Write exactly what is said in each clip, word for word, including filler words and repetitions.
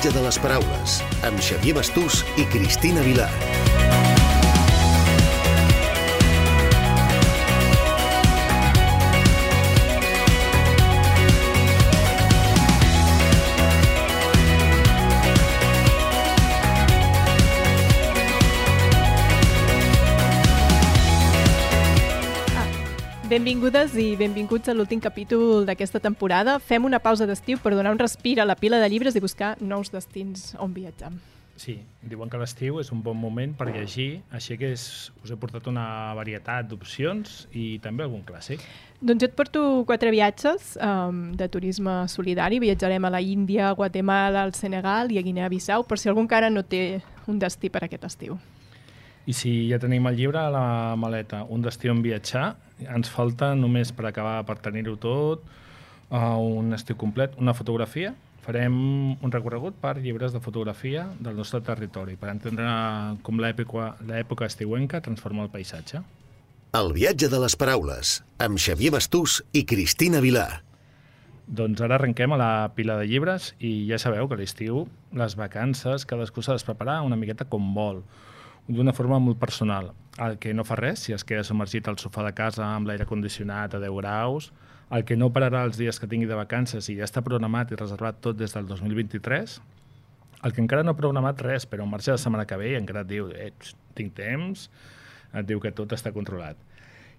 viatge de les paraules, amb Xavier Bastús i Cristina Vilar. Benvingudes i benvinguts a l'últim capítol d'aquesta temporada. Fem una pausa d'estiu per donar un respir a la pila de llibres i buscar nous destins on viatjar. Sí, diuen que l'estiu és un bon moment per llegir, així que és, us he portat una varietat d'opcions i també algun clàssic. Doncs jo et porto quatre viatges um, de turisme solidari. Viatjarem a la Índia, a Guatemala, al Senegal i a Guinea-Bissau, per si algú encara no té un destí per aquest estiu. I si ja tenim el llibre a la maleta, un destí on viatjar, ens falta només per acabar, per tenir-ho tot, uh, un estiu complet, una fotografia. Farem un recorregut per llibres de fotografia del nostre territori, per entendre com l'època, l'època estiuenca transforma el paisatge. El viatge de les paraules, amb Xavier Bastús i Cristina Vilar. Doncs ara arrenquem a la pila de llibres i ja sabeu que a l'estiu, les vacances, cadascú s'ha de preparar una miqueta com vol, d'una forma molt personal. El que no fa res, si es queda submergit al sofà de casa amb l'aire condicionat a deu graus, el que no pararà els dies que tingui de vacances i ja està programat i reservat tot des del dos mil vint-i-tres, el que encara no ha programat res, però en marxa la setmana que ve i encara et diu eh, tinc temps, et diu que tot està controlat.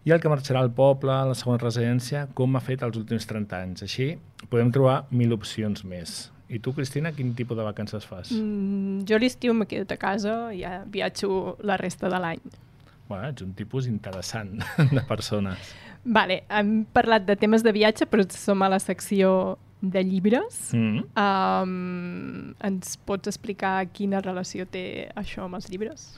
I el que marxarà al poble, a la segona residència, com ha fet els últims trenta anys. Així podem trobar mil opcions més. I tu, Cristina, quin tipus de vacances fas? Mm, jo a l'estiu me quedo a casa i ja viatjo la resta de l'any. Bueno, ets un tipus interessant de persones. Vale, hem parlat de temes de viatge, però som a la secció de llibres. Mm. Um, ens pots explicar quina relació té això amb els llibres?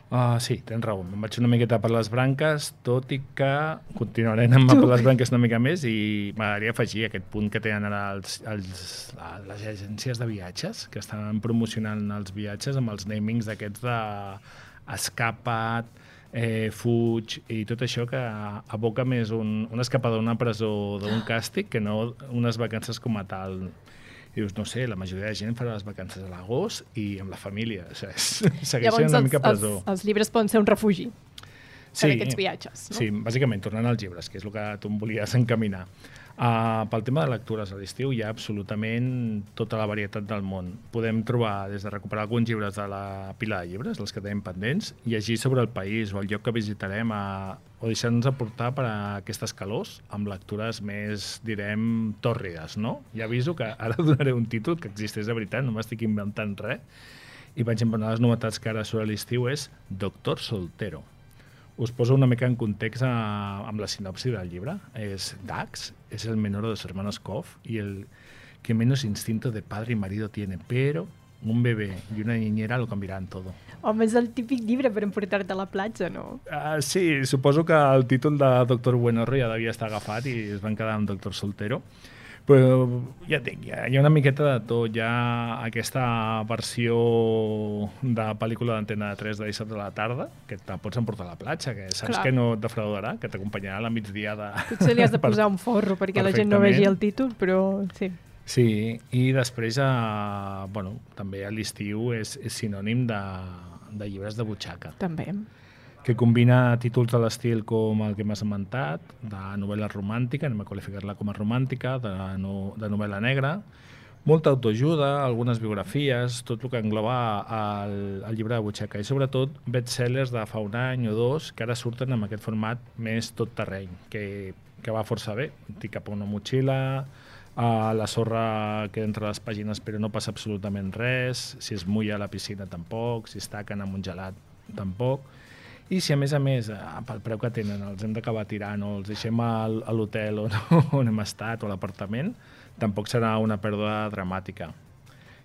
Uh, sí, tens raó. Em vaig una miqueta per les branques, tot i que continuaré anant per les branques una mica més i m'agradaria afegir aquest punt que tenen ara els, els, les agències de viatges, que estan promocionant els viatges amb els namings d'aquests de escapa't, eh, fuig i tot això que aboca més un, una escapada d'una presó o d'un càstig que no unes vacances com a tal. I dius, no sé, la majoria de gent farà les vacances a l'agost i amb la família. O sigui, segueix sent una mica presó. Els, els llibres poden ser un refugi per sí, aquests viatges, no? Sí, bàsicament, tornant als llibres, que és el que tu em volies encaminar. Uh, pel tema de lectures a l'estiu hi ha absolutament tota la varietat del món. Podem trobar, des de recuperar alguns llibres de la pila de llibres, els que tenim pendents, llegir sobre el país o el lloc que visitarem a, o deixar-nos aportar per a aquestes calors amb lectures més, direm, tòrrides, no? Ja aviso que ara donaré un títol que existeix de veritat, no m'estic inventant res, i per exemple, una de les novetats que ara sobre l'estiu és Doctor Soltero. Us poso una mica en context a, amb la sinopsi del llibre. És Dax, es el menor de los hermanos Koff y el que menos instinto de padre y marido tiene, pero un bebé y una niñera lo cambiarán todo. Home, és el típic llibre per emportar-te a la platja, no? Uh, sí, suposo que el títol de Doctor Buenorro ja devia estar agafat i es van quedar amb Doctor Soltero. Però ja et dic, hi ha una miqueta de tot. Hi ha aquesta versió de pel·lícula d'Antena tres de dissabte a la tarda, que te pots emportar a la platja, que saps Clar. que no et defraudarà, que t'acompanyarà a la migdia de... Potser li has de posar un forro perquè la gent no vegi el títol, però sí. Sí, i després, eh, bueno, també a l'estiu és, és sinònim de, de llibres de butxaca. També. Que combina títols de l'estil com el que m'has esmentat, de novel·la romàntica, anem a qualificar-la com a romàntica, de, no, de novel·la negra, molta autoajuda, algunes biografies, tot el que engloba el, el llibre de butxaca, i sobretot bestsellers de fa un any o dos que ara surten amb aquest format més tot terreny, que, que va força bé. Tinc cap a una motxilla, a la sorra que entre les pàgines però no passa absolutament res, si es mulla a la piscina tampoc, si es taquen amb un gelat tampoc. I si a més a més, pel preu que tenen, els hem d'acabar tirant o els deixem a l'hotel on, on hem estat o a l'apartament, tampoc serà una pèrdua dramàtica.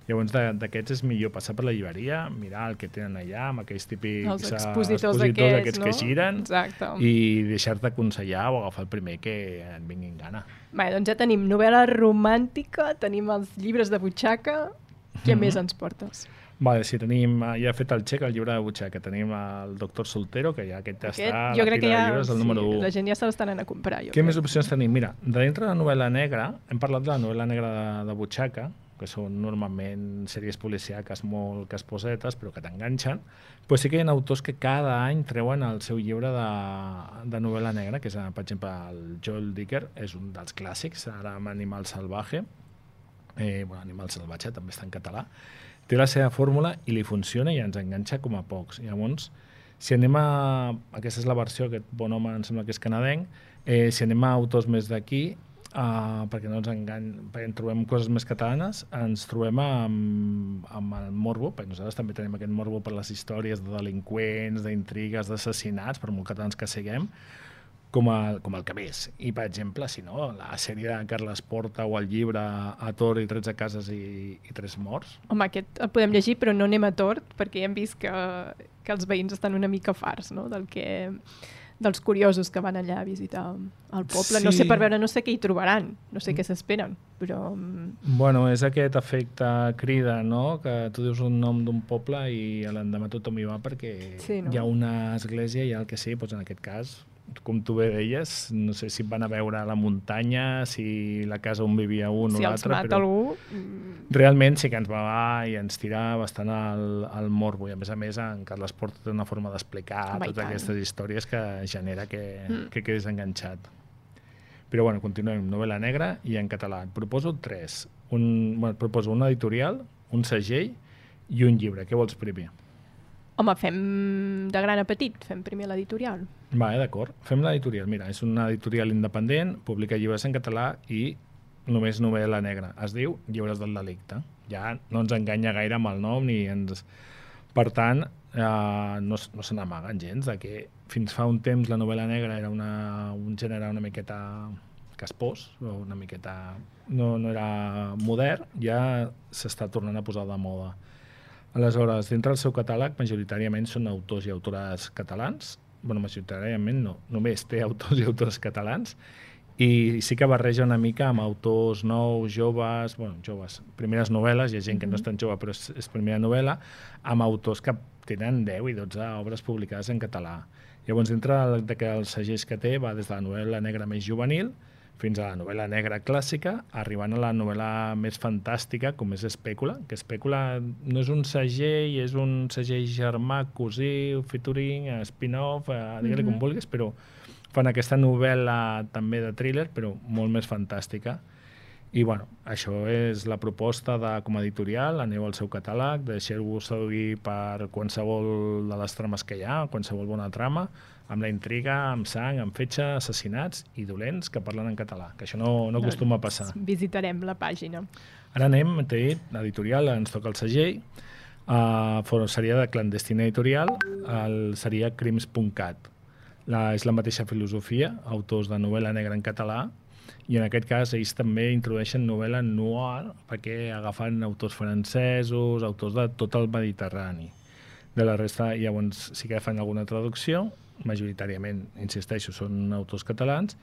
Llavors, d'aquests és millor passar per la llibreria, mirar el que tenen allà, amb aquells típics els expositors, expositors aquests, aquests no? que giren. Exacte. I deixar-te aconsellar o agafar el primer que et vingui en gana. Bé, doncs ja tenim novel·la romàntica, tenim els llibres de butxaca. Què mm-hmm. més ens portes? Vale, sí, tenim, ja he fet el xec al llibre de butxaca, tenim el Doctor Soltero, que ja aquest, aquest està jo crec que ja, llibres, el número sí, u. La gent ja se l'estan anant a comprar. Jo Què crec. més opcions tenim? Mira, de dintre de la novel·la negra, hem parlat de la novel·la negra de, de butxaca, que són normalment sèries policiaques molt casposetes, però que t'enganxen, però sí que hi ha autors que cada any treuen el seu llibre de, de novel·la negra, que és, per exemple, el Joel Dicker, és un dels clàssics, ara amb Animal Salvaje, eh, bueno, Animal Salvatge també està en català, té la seva fórmula i li funciona i ens enganxa com a pocs. Llavors, si anem a... Aquesta és la versió, aquest bon home em sembla que és canadenc, eh, si anem a autors més d'aquí, Uh, perquè no ens engany, perquè en trobem coses més catalanes, ens trobem amb, amb el morbo, perquè nosaltres també tenim aquest morbo per les històries de delinqüents, d'intrigues, d'assassinats, per molt catalans que siguem, com el, com el que més. I, per exemple, si no, la sèrie de Carles Porta o el llibre A Tort i tretze cases i, i tres morts. Home, aquest el podem llegir, però no anem a tort, perquè ja hem vist que, que els veïns estan una mica farts, no?, del que... dels curiosos que van allà a visitar el poble. Sí. No sé per veure, no sé què hi trobaran, no sé què s'esperen, però... Bueno, és aquest efecte crida, no?, que tu dius un nom d'un poble i l'endemà tothom hi va perquè sí, no? Hi ha una església i el que sí, doncs en aquest cas, com tu bé deies, no sé si van a veure la muntanya, si la casa on vivia un si o l'altre, però algú... realment sí que ens va i ens tira bastant al, al morbo, i a més a més en Carles Porta té una forma d'explicar totes aquestes històries que genera que, mm. que quedis enganxat. Però bueno, continuem, novel·la negra i en català. Et proposo tres. Un, bueno, et proposo un editorial, un segell i un llibre. Què vols primer? Home, fem de gran a petit, fem primer l'editorial. Va, eh, d'acord. Fem l'editorial. Mira, és una editorial independent, publica llibres en català i només novel·la negra. Es diu Llibres del Delicte. Ja no ens enganya gaire amb el nom ni ens... Per tant, eh, no, no se n'amaguen gens de que fins fa un temps la novel·la negra era una, un gènere una miqueta caspós, o una miqueta... No, no era modern, ja s'està tornant a posar de moda. Aleshores, dintre del seu catàleg, majoritàriament són autors i autores catalans. Bueno, majoritàriament no, només té autors i autores catalans. I sí que barreja una mica amb autors nous, joves, bueno, joves, primeres novel·les, hi ha gent que no és tan jove però és, és primera novel·la, amb autors que tenen deu i dotze obres publicades en català. Llavors, dintre de que els segells que té va des de la novel·la negra més juvenil fins a la novel·la negra clàssica, arribant a la novel·la més fantàstica, com és Espècula, que Espècula no és un segell, és un segell germà, cosí, featuring, spin-off, eh, digue-li mm-hmm. com vulguis, però fan aquesta novel·la també de thriller, però molt més fantàstica. I bueno, això és la proposta de, com a editorial, aneu al seu catàleg, deixeu-vos seduir per qualsevol de les trames que hi ha, qualsevol bona trama, amb la intriga, amb sang, amb fetge, assassinats i dolents que parlen en català, que això no, no acostuma a passar. Visitarem la pàgina. Ara anem, t'he dit, l'editorial, ens toca el segell, uh, seria de Clandestina Editorial, el, seria crims punt cat. La, és la mateixa filosofia, autors de novel·la negra en català, i en aquest cas ells també introdueixen novel·la noir perquè agafen autors francesos, autors de tot el Mediterrani. De la resta, llavors, sí que fan alguna traducció, majoritàriament, insisteixo, són autors catalans,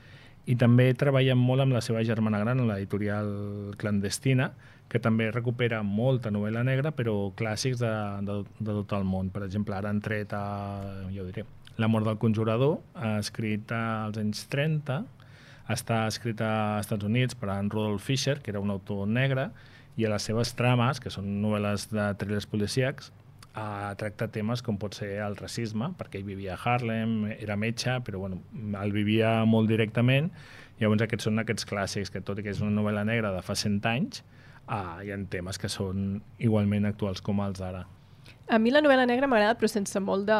i també treballen molt amb la seva germana gran, l'editorial Clandestina, que també recupera molta novel·la negra, però clàssics de, de, de tot el món. Per exemple, ara han tret, a, jo diré, La mort del conjurador, escrit als anys trenta, està escrit als Estats Units per en Rudolf Fischer, que era un autor negre, i a les seves trames, que són novel·les de thrillers policíacs, eh, tracta temes com pot ser el racisme, perquè ell vivia a Harlem, era metge, però bueno, el vivia molt directament. Llavors aquests són aquests clàssics, que tot i que és una novel·la negra de fa cent anys, eh, hi ha temes que són igualment actuals com els d'ara. A mi la novel·la negra m'agrada, però sense molt de...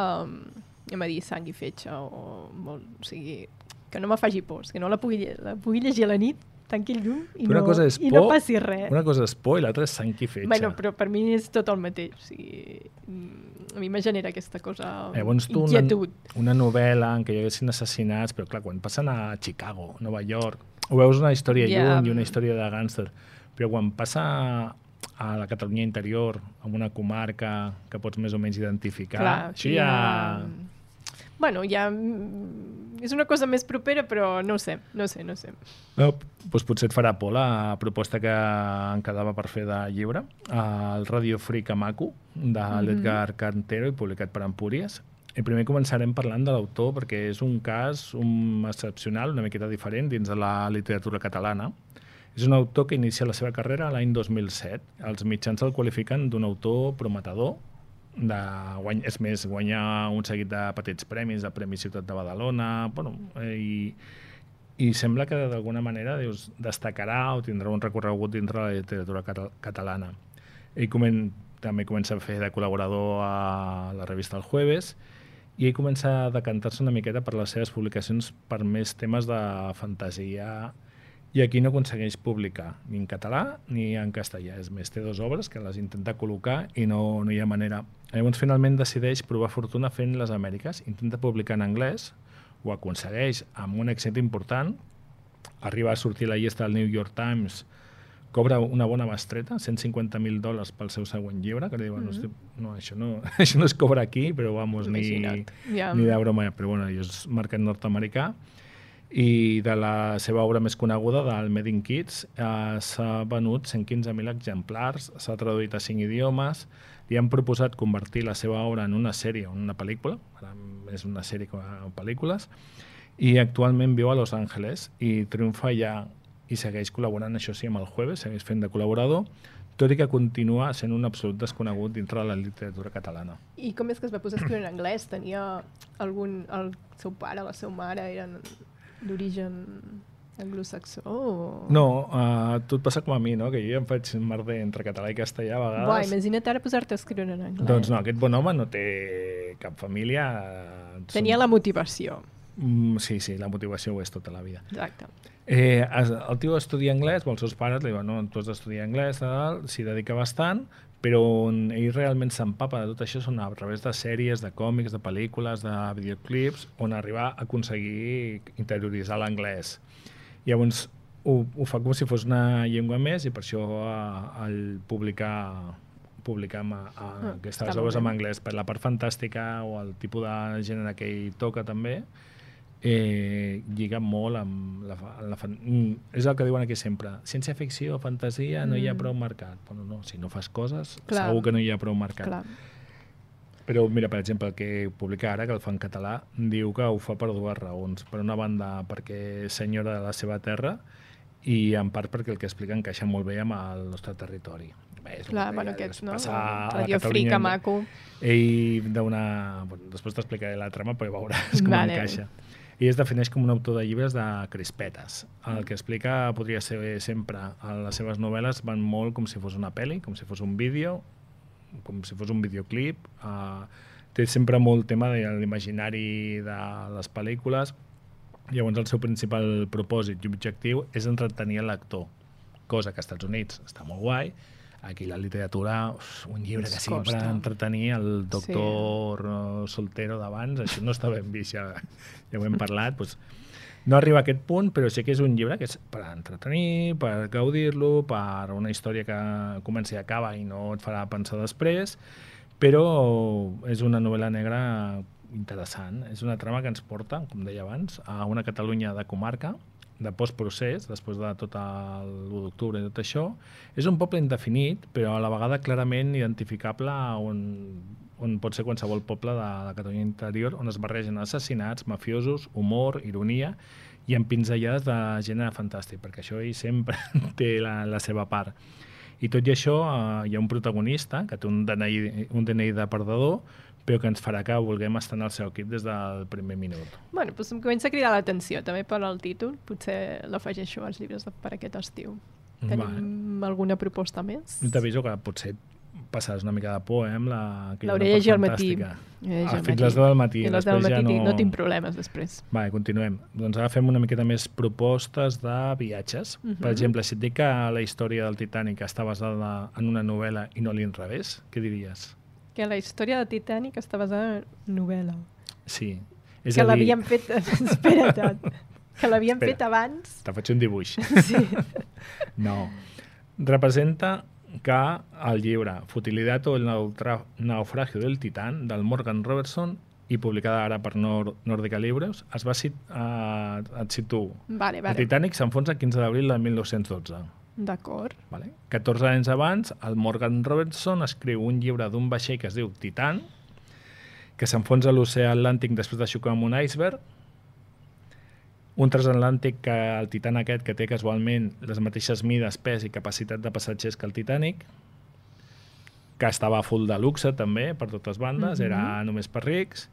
anem a dir, sang i fetge, o molt, o sigui, que no me faci por, que no la pugui, la pugui llegir a la nit, tanqui el llum i, no, i no passi res. Una cosa és por i l'altra és sang i fetge. Bueno, però per mi és tot el mateix. O sigui, a mi me genera aquesta cosa, eh, inquietud. Una, una novel·la en què hi haguessin assassinats, però clar, quan passen a Chicago, Nova York, ho veus una història yeah. lluny i una història de gàngster, però quan passa a la Catalunya interior, en una comarca que pots més o menys identificar, clar, això ja... ja... Bueno, ja és una cosa més propera, però no ho sé, no sé, no sé. No, doncs potser et farà por la proposta que em quedava per fer de llibre, el Radio Free Kamaku, de l'Edgar Cantero i publicat per Empúries. I primer començarem parlant de l'autor perquè és un cas un excepcional, una miqueta diferent dins de la literatura catalana. És un autor que inicia la seva carrera l'any dos mil set. Els mitjans el qualifiquen d'un autor prometedor, de guany... és més, guanya un seguit de petits premis, de Premi Ciutat de Badalona, bueno, eh, i, i sembla que d'alguna manera dius, destacarà o tindrà un recorregut dintre de la literatura catal catalana. Ell comen... també comença a fer de col·laborador a la revista El Jueves, i ell comença a decantar-se una miqueta per les seves publicacions per més temes de fantasia, i aquí no aconsegueix publicar ni en català ni en castellà. És més, té dues obres que les intenta col·locar i no, no hi ha manera. Llavors finalment decideix provar fortuna fent les Amèriques, intenta publicar en anglès, ho aconsegueix amb un èxit important, arriba a sortir a la llista del New York Times, cobra una bona bestreta, cent cinquanta mil dòlars pel seu següent llibre, que li diuen, mm-hmm. no, això no, això no es cobra aquí, però vamos, ni, yeah. ni de broma, però bueno, és mercat nord-americà. I de la seva obra més coneguda, del Made in Kids, eh, s'ha venut cent quinze mil exemplars, s'ha traduït a cinc idiomes, li han proposat convertir la seva obra en una sèrie o en una pel·lícula, ara és una sèrie com a pel·lícules, i actualment viu a Los Angeles i triomfa allà i segueix col·laborant, això sí, amb El Jueves, segueix fent de col·laborador, tot i que continua sent un absolut desconegut dintre de la literatura catalana. I com és que es va posar a escriure en anglès? Tenia algun... el seu pare, la seva mare, eren d'origen anglosaxó? O... No, uh, tot passa com a mi, no? Que jo ja em faig merder entre català i castellà a vegades. Buah, imagina't ara posar-te a escriure en anglès. Doncs no, aquest bon home no té cap família. Tenia la motivació. Mm, sí, sí, la motivació ho és tota la vida. Exacte. Eh, el tio estudia anglès, els seus pares li diuen, no, tu has d'estudiar anglès, s'hi dedica bastant, però on ell realment s'empapa de tot això són a través de sèries, de còmics, de pel·lícules, de videoclips, on arribar a aconseguir interioritzar l'anglès. Llavors ho, ho fa com si fos una llengua més i per això eh, el publicar publicar amb, a, a aquestes obres en anglès per la part fantàstica o el tipus de gènere que ell toca també, eh, lliga molt amb la, la fan... és el que diuen aquí sempre, ciència-ficció, fantasia, no mm. hi ha prou mercat. Bueno, no, si no fas coses, clar, segur que no hi ha prou mercat. Clar. Però mira, per exemple, el que publica ara, que el fa en català, diu que ho fa per dues raons. Per una banda, perquè és senyora de la seva terra, i en part perquè el que explica encaixa molt bé amb el nostre territori. Bé, clar, bueno, aquests, no? Radio Frica, maco. Ell d'una... Bueno, després t'explicaré la trama, però veuràs com vale. Encaixa. I es defineix com un autor de llibres de crispetes. El que explica podria ser sempre, les seves novel·les van molt com si fos una pel·li, com si fos un vídeo, com si fos un videoclip. Uh, té sempre molt tema de l'imaginari de les pel·lícules. Llavors el seu principal propòsit i objectiu és entretenir el lector, cosa que als Estats Units està molt guai. Aquí la literatura, uf, un llibre que sigui per entretenir el doctor sí. soltero d'abans, això no està ben vist, ja, ja ho hem parlat. Doncs no arriba a aquest punt, però sí que és un llibre que és per entretenir, per gaudir-lo, per una història que comença i acaba i no et farà pensar després, però és una novel·la negra interessant. És una trama que ens porta, com deia abans, a una Catalunya de comarca, de postprocés, després de tot l'u d'octubre i tot això. És un poble indefinit, però a la vegada clarament identificable on, on pot ser qualsevol poble de la Catalunya interior, on es barregen assassinats, mafiosos, humor, ironia i empinzellades de gènere fantàstic, perquè això ell sempre té la, la seva part. I tot i això, eh, hi ha un protagonista que té un D N I, un D N I de perdedor, però que ens farà que vulguem estar en el seu equip des del primer minut. Bueno, doncs em comença a cridar l'atenció, també per al títol. Potser l'afegeixo als llibres de, per aquest estiu. Tenim vale. alguna proposta més? T'aviso que potser passaràs una mica de por, eh, amb la... L'hauré llegit al matí. Ah, fins les deu del matí. I les deu del matí ja no... no tinc problemes després. Vale, continuem. Doncs ara fem una miqueta més propostes de viatges. Uh -huh. Per exemple, si et dic que la història del Titanic està basada en una novel·la i no a l'inrevés, què diries? Que la història de Titanic està basada en novel·la. Sí. És que dir... l'havien fet... Espera't. Que l'havien fet abans. Te faig un dibuix. Sí. No. Representa que el llibre Futilidad o el naufragio del Titán, del Morgan Robertson, i publicada ara per Nord Nordica Libros, es va sit uh, et situo. Vale, vale. El Titanic s'enfonsa el quinze d'abril del mil nou-cents dotze. D'acord. Vale. catorze anys abans, el Morgan Robertson escriu un llibre d'un vaixell que es diu Titan, que s'enfonsa a l'oceà Atlàntic després de xocar amb un iceberg, un transatlàntic, que el Titan aquest, que té casualment les mateixes mides, pes i capacitat de passatgers que el Titanic, que estava full de luxe també, per totes bandes, mm-hmm. era només per rics,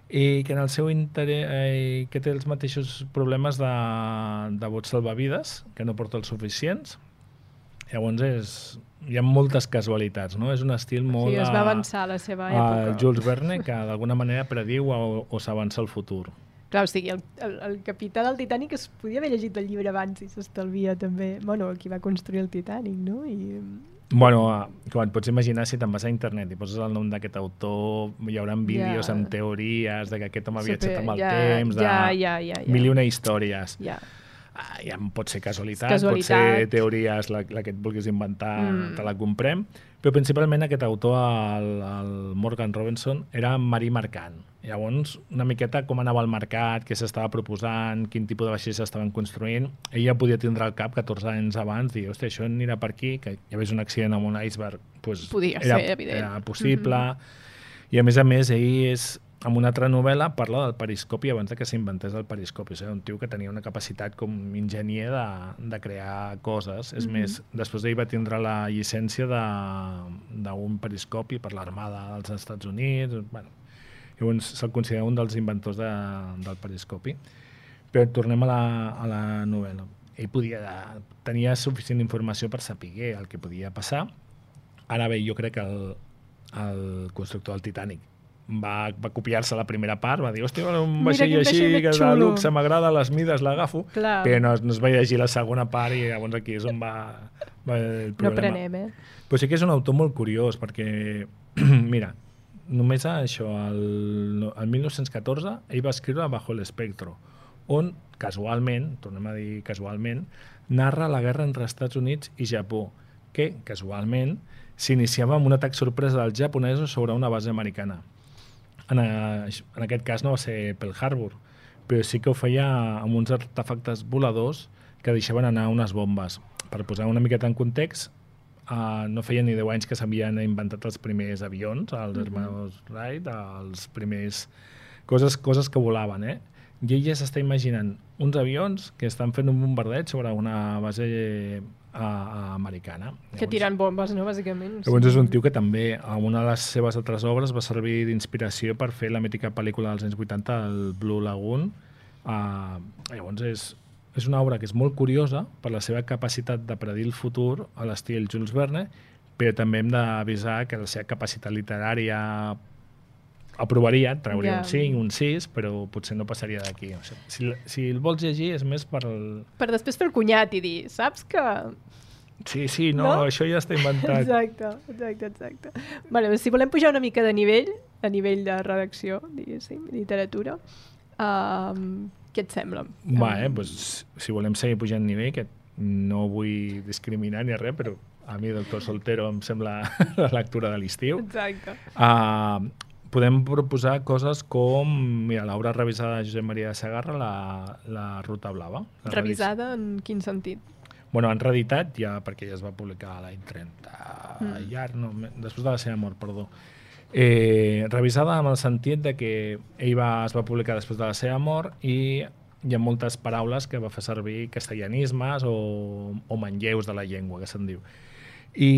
i que en el seu interès, eh, que té els mateixos problemes de, de bots salvavides, que no porta els suficients. Llavors és, hi ha moltes casualitats, no? És un estil molt... Sí, es va avançar a la seva època. A Jules Verne, que d'alguna manera prediu o, o s'avança al futur. Clar, o sigui, el, el, el capità del Titanic es podia haver llegit el llibre abans i s'estalvia també... Bueno, qui va construir el Titanic, no? I... Bueno, quan pots imaginar, si te'n vas a internet i poses el nom d'aquest autor, hi haurà vídeos ja. amb teories de que aquest home ha Super, viatjat amb el ja, temps, de ja, ja, ja, ja. mil i una històries. Ja. Ah, ja pot ser casualitat, casualitat, pot ser teories, la, la que et vulguis inventar, mm. te la comprem, però principalment aquest autor, el, el Morgan Robinson, era marí mercant. Llavors, una miqueta com anava al mercat, què s'estava proposant, quin tipus de vaixells s'estaven construint, ella podia tindre al cap catorze anys abans, dir, hòstia, això anirà per aquí, que hi hagués un accident amb un iceberg, pues, podia era, ser, evident. Era possible, mm-hmm. i a més a més, ell és... En una altra novel·la parla del periscopi abans de que s'inventés el periscopi. O sigui, un tio que tenia una capacitat com enginyer de, de crear coses. És mm-hmm. més, després d'ell va tindre la llicència d'un periscopi per l'Armada dels Estats Units. Bueno, llavors se'l considera un dels inventors de, del periscopi. Però tornem a la, a la novel·la. Ell podia, tenia suficient informació per saber el que podia passar. Ara bé, jo crec que el, el constructor del Titanic va, va copiar-se la primera part, va dir, hòstia, un vaixell així, que de luxe m'agrada, les mides l'agafo, però no, no es va llegir la segona part i llavors aquí és on va, va el problema. No prenem, eh? Però sí que és un autor molt curiós, perquè, mira, només això, el, el mil nou-cents catorze, ell va escriure Bajo el espectro, on, casualment, tornem a dir casualment, narra la guerra entre Estats Units i Japó, que, casualment, s'iniciava amb un atac sorpresa dels japonesos sobre una base americana. En, a, en aquest cas no va ser Pearl Harbor, però sí que ho feia amb uns artefactes voladors que deixaven anar unes bombes. Per posar una miqueta en context, uh, no feia ni deu anys que s'havien inventat els primers avions, els mm-hmm. hermanos Wright, els primers... Coses, coses que volaven, eh? I ella s'està imaginant uns avions que estan fent un bombardeig sobre una base a, a americana. Que llavors, tirant bombes, no, bàsicament. Llavors és un tio que també, a una de les seves altres obres, va servir d'inspiració per fer la mítica pel·lícula dels anys vuitanta, el Blue Lagoon. Uh, llavors és, és una obra que és molt curiosa per la seva capacitat de predir el futur a l'estil Jules Verne, però també hem d'avisar que la seva capacitat literària aprovaria, trauria yeah. un cinc, un sis, però potser no passaria d'aquí. O sigui, si, si el vols llegir és més per... El... Per després fer el cunyat i dir, saps que... Sí, sí, no, no? Això ja està inventat. Exacte, exacte, exacte. Bueno, si volem pujar una mica de nivell, a nivell de redacció, diguéssim, literatura, um, què et sembla? Va, eh, doncs, si volem seguir pujant nivell, que no vull discriminar ni res, però a mi Doctor Soltero em sembla la lectura de l'estiu. Exacte. Uh, podem proposar coses com, mira, l'obra revisada de Josep Maria de Segarra, la, la Ruta Blava. La revisada revis... en quin sentit? Bueno, han reeditat ja, perquè ja es va publicar l'any trenta, mm. ja, no, després de la seva mort, perdó. Eh, revisada amb el sentit de que ell va, es va publicar després de la seva mort i hi ha moltes paraules que va fer servir castellanismes o, o manlleus de la llengua, que se'n diu. I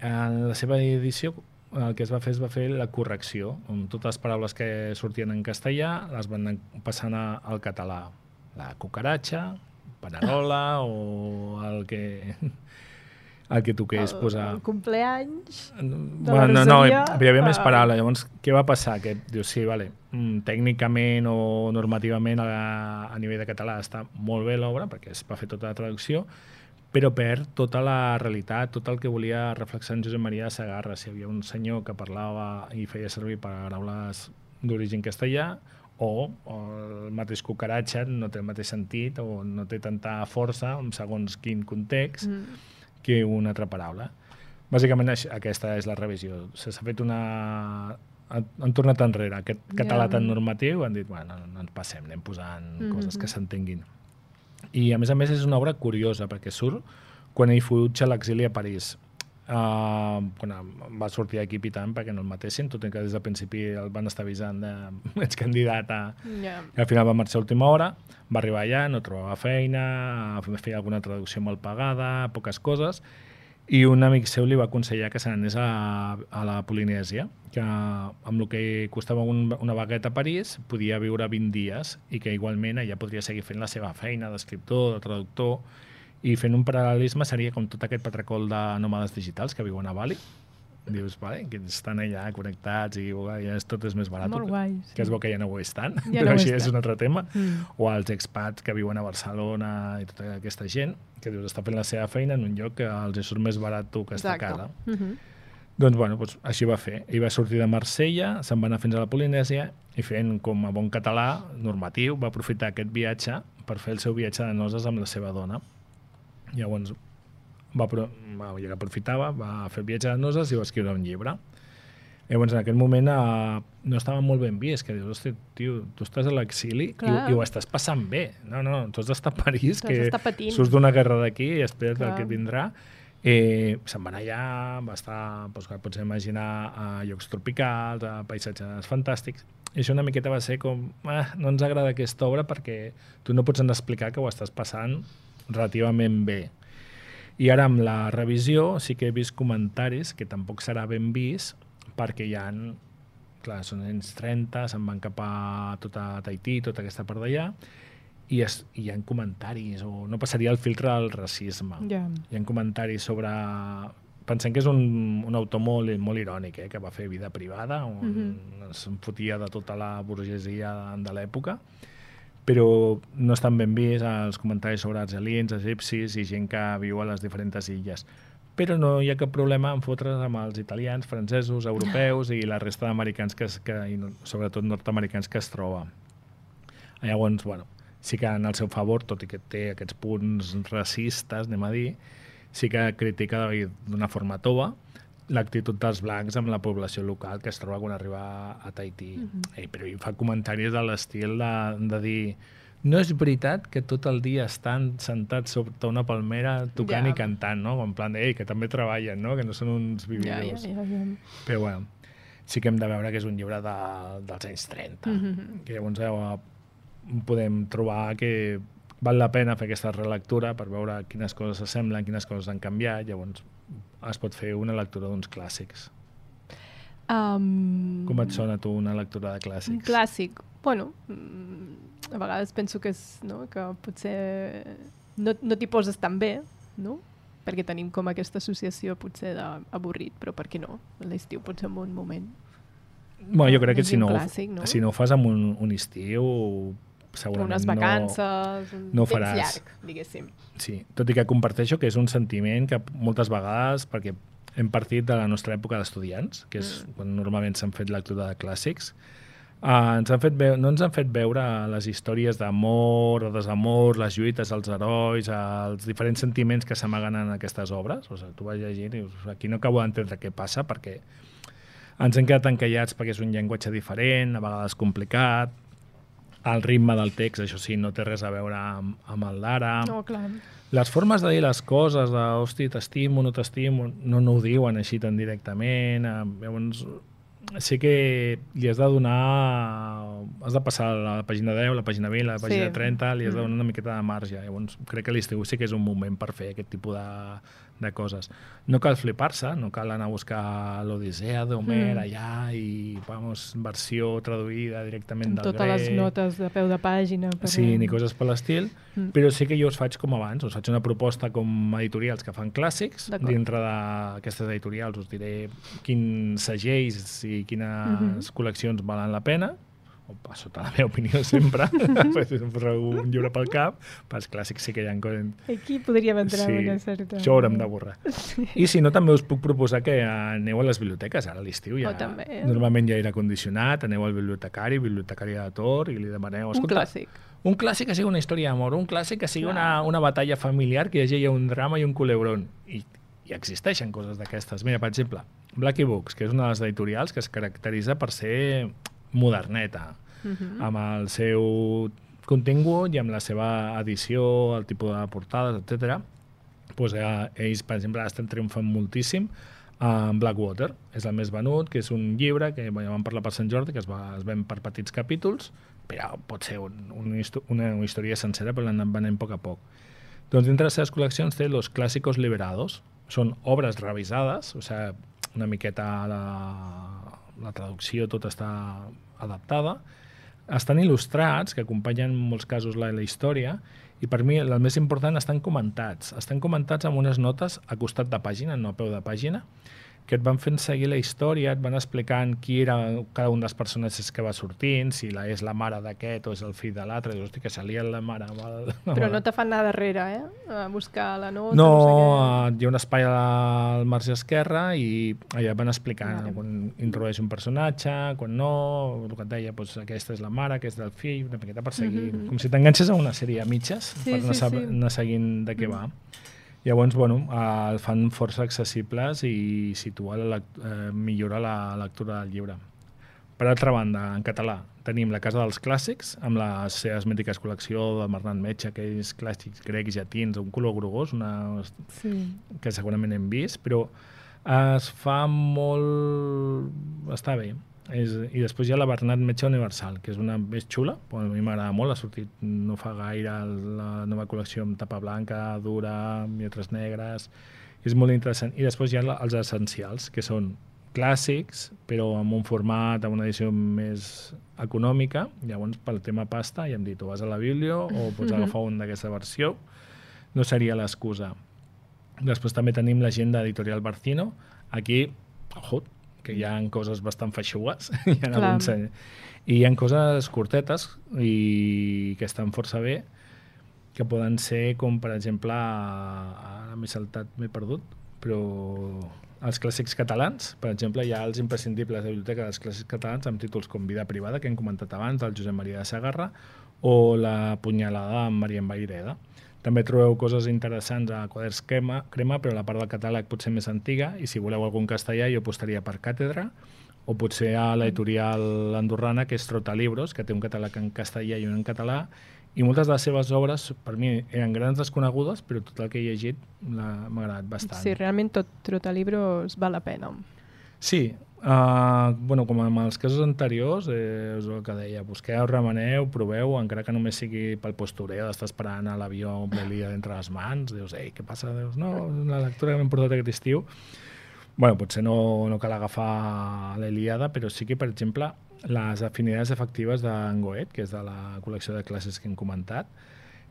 en la seva edició el que es va fer es va fer la correcció, on totes les paraules que sortien en castellà les van passant al català. La cucaratxa, panerola o el que el que toqués posar. El compleanys de bueno, no, no, hi havia ah. més paraules. Llavors, què va passar? Que dius, sí, vale, tècnicament o normativament a, a nivell de català està molt bé l'obra, perquè es va fer tota la traducció, però perd tota la realitat, tot el que volia reflexar en Josep Maria de Segarra. Si hi havia un senyor que parlava i feia servir paraules d'origen castellà, o, o el mateix cucaratxa no té el mateix sentit o no té tanta força, segons quin context, mm. que una altra paraula. Bàsicament aquesta és la revisió. S'ha fet una... Han tornat enrere. Aquest català yeah. tan normatiu han dit, bueno, no ens passem, anem posant mm-hmm. coses que s'entenguin. I a més a més és una obra curiosa perquè surt quan ell fuig a l'exili a París. Uh, quan va sortir d'aquí pitant perquè no el matessin, tot i que des del principi el van estar avisant de ets candidat a... Yeah. I al final va marxar a última hora, va arribar allà, no trobava feina, feia alguna traducció mal pagada, poques coses, i un amic seu li va aconsellar que se n'anés a, a la Polinèsia, que amb el que costava un, una bagueta a París podia viure vint dies i que igualment allà podria seguir fent la seva feina d'escriptor, de traductor, i fent un paral·lelisme seria com tot aquest patracol de nòmades digitals que viuen a Bali. Dius, vale, que estan allà connectats i ja és, tot és més barat. Molt guai, sí. Que es veu que ja no ho estan, Ja però no ho així estan. és un altre tema. Mm. O els expats que viuen a Barcelona i tota aquesta gent que dius, està fent la seva feina en un lloc que els surt més barat tu que està a casa. Mm -hmm. Doncs, bueno, doncs, així va fer. Ell va sortir de Marsella, se'n va anar fins a la Polinèsia i fent, com a bon català normatiu, va aprofitar aquest viatge per fer el seu viatge de noces amb la seva dona. Llavors, va, va, ja que aprofitava, va fer el viatge de noces i va escriure un llibre. Llavors, en aquell moment eh, no estava molt ben vist, que dius, hosti, tio, tu estàs a l'exili i, i ho estàs passant bé. No, no, tu has d'estar a París, que surts d'una guerra d'aquí i espera't el que vindrà. Eh, se'n va anar allà, va estar, doncs, que pots imaginar, a llocs tropicals, a paisatges fantàstics. I això una miqueta va ser com, eh, no ens agrada aquesta obra perquè tu no pots explicar que ho estàs passant relativament bé. I ara amb la revisió sí que he vist comentaris que tampoc serà ben vist perquè hi ha, clar, són anys trenta, se'n van cap a tot a Tahití, tota aquesta part d'allà, i, es, i hi ha comentaris, o no passaria el filtre del racisme. Yeah. Hi ha comentaris sobre... Pensem que és un, un autor molt, molt irònic, eh, que va fer vida privada, on mm-hmm. se'n fotia de tota la burgesia de l'època, però no estan ben vist els comentaris sobre argelins, egipcis i gent que viu a les diferents illes. Però no hi ha cap problema en fotre's amb els italians, francesos, europeus i la resta d'americans, que, que, i sobretot nord-americans, que es troba. Llavors, bueno, sí que en el seu favor, tot i que té aquests punts racistes, anem a dir, sí que critica d'una forma tova l'actitud dels blancs amb la població local que es troba quan arriba a Tahití. Mm-hmm. Ei, però hi fa comentaris de l'estil de, de dir no és veritat que tot el dia estan sentats sota una palmera tocant yeah. i cantant, no? En plan de, ei, que també treballen, no? Que no són uns vividors. Yeah, yeah, yeah, yeah. Però, bueno, sí que hem de veure que és un llibre de, dels anys trenta. Mm-hmm. Que llavors eh, podem trobar que val la pena fer aquesta relectura per veure quines coses s'assemblen, quines coses han canviat, llavors es pot fer una lectura d'uns clàssics. Um, Com et sona tu una lectura de clàssics? Un clàssic? Bueno, a vegades penso que, és, no, que potser no, no t'hi poses tan bé, no? Perquè tenim com aquesta associació potser d'avorrit, però per què no? L'estiu pot ser un bon moment. Bueno, jo crec que si no, clàssic, no? si no ho fas amb un, un estiu, segurament unes vacances, no, no un faràs. temps llarg, diguéssim. Sí, tot i que comparteixo que és un sentiment que moltes vegades, perquè hem partit de la nostra època d'estudiants, que és mm. quan normalment s'han fet lectura de clàssics, uh, ens han fet veu- no ens han fet veure les històries d'amor, de desamor, les lluites, els herois, els diferents sentiments que s'amaguen en aquestes obres. O sigui, tu vas llegint i dius, aquí no acabo d'entendre què passa, perquè ens hem quedat encallats perquè és un llenguatge diferent, a vegades complicat. El ritme del text, això sí, no té res a veure amb, amb el d'ara. No, clar. Les formes de dir les coses, de, hosti, t'estimo, no t'estimo, no, no ho diuen així tan directament. Eh, llavors, sí que li has de donar... Has de passar a la pàgina deu, la pàgina vint, la pàgina sí. trenta, li has de donar una miqueta de marge. Llavors, crec que l'estiu sí que és un moment per fer aquest tipus de, de coses. No cal flipar-se, no cal anar a buscar l'Odissea d'Homer mm. allà i, vamos, versió traduïda directament amb del totes grec. les notes de peu de pàgina. Per Sí, ni coses per l'estil, mm. però sí que jo us faig com abans, us faig una proposta com editorials que fan clàssics. Dintre d'aquestes editorials us diré quins segells i quines mm-hmm. col·leccions valen la pena, o sota la meva opinió sempre, un llibre pel cap, pels clàssics sí que hi ha... Aquí podríem entrar sí, una certa... això haurem de borrar. Sí. I si no, també us puc proposar que aneu a les biblioteques, ara a l'estiu ja... Oh, també, eh? Normalment hi ha aire condicionat, aneu al bibliotecari, bibliotecari de Tor, i li demaneu... Un clàssic. Un clàssic que sigui una història d'amor, un clàssic que sigui una, una batalla familiar, que hi hagi un drama i un culebrón. I, i existeixen coses d'aquestes. Mira, per exemple, Blackie Books, que és una de les editorials que es caracteritza per ser moderneta, uh-huh. amb el seu contingut i amb la seva edició, el tipus de portades, etcètera. pues, eh, ells, per exemple, estan triomfant moltíssim amb Blackwater. És el més venut, que és un llibre que ja vam parlar per Sant Jordi, que es, va, es ven per petits capítols, però pot ser un, un, una, una història sencera, però l'han venent a poc a poc. Doncs dintre de les seves col·leccions té Los Clásicos Liberados. Són obres revisades, o sigui, una miqueta la, la traducció tot està adaptada. Estan il·lustrats, que acompanyen en molts casos la, la història, i per mi el més important estan comentats. Estan comentats amb unes notes a costat de pàgina, no a peu de pàgina, que et van fent seguir la història, et van explicant qui era cada un dels personatges que va sortint, si la, és la mare d'aquest o és el fill de l'altre, dius, hosti, que salia la mare. Però no te fan anar darrere, eh? A buscar la nota. No, no sé què. Hi ha un espai al marge esquerre i allà van explicant vale. Quan introdueix un personatge, quan no, el que et deia, doncs, aquesta és la mare, aquesta és el fill, una miqueta per seguir, mm -hmm. com si t'enganxes a una sèrie a mitges sí, per anar, sí, sí. anar seguint de què mm. va. Llavors, bueno, el fan força accessibles i situa la, eh, millora la lectura del llibre. Per altra banda, en català, tenim La Casa dels Clàssics, amb la seva esmètica col·lecció de Bernat Metge, aquells clàssics grecs llatins, un color grogós, una... sí. que segurament hem vist, però es fa molt... està bé. És, i després hi ha la Bernat Metge Universal, que és una més xula, a mi m'agrada molt, ha sortit no fa gaire la nova col·lecció amb tapa blanca, dura, lletres negres, és molt interessant. I després hi ha els essencials, que són clàssics, però amb un format, amb una edició més econòmica. Llavors, pel tema pasta, ja hem dit, o vas a la Biblio o pots agafar un d'aquesta versió, no seria l'excusa. Després també tenim l'agenda editorial Barcino, aquí, ojo, que hi ha coses bastant feixugues, hi ha alguns, i hi ha coses curtetes i que estan força bé, que poden ser com, per exemple, ara m'he saltat, m'he perdut, però els clàssics catalans, per exemple, hi ha els imprescindibles de biblioteca dels clàssics catalans amb títols com Vida privada, que hem comentat abans, del Josep Maria de Sagarra, o La punyalada amb Marien Vaireda. També trobeu coses interessants a Quaderns Crema, crema, però la part del catàleg potser més antiga, i si voleu algun castellà jo apostaria per Càtedra, o potser a l'editorial andorrana, que és Trotalibros, que té un catàleg en castellà i un en català, i moltes de les seves obres, per mi, eren grans desconegudes, però tot el que he llegit m'ha agradat bastant. Sí, realment tot Trotalibros val la pena. Sí, uh, bueno, com en els casos anteriors, eh, és el que deia, busqueu, remeneu, proveu, encara que només sigui pel postureo, d'estar esperant a l'avió amb l'Elia entre les mans, dius, ei, què passa? Dius, no, la lectura que m'hem portat aquest estiu. Bueno, potser no, no cal agafar l'Eliada, però sí que, per exemple, les afinitats efectives d'en Goethe, que és de la col·lecció de classes que hem comentat,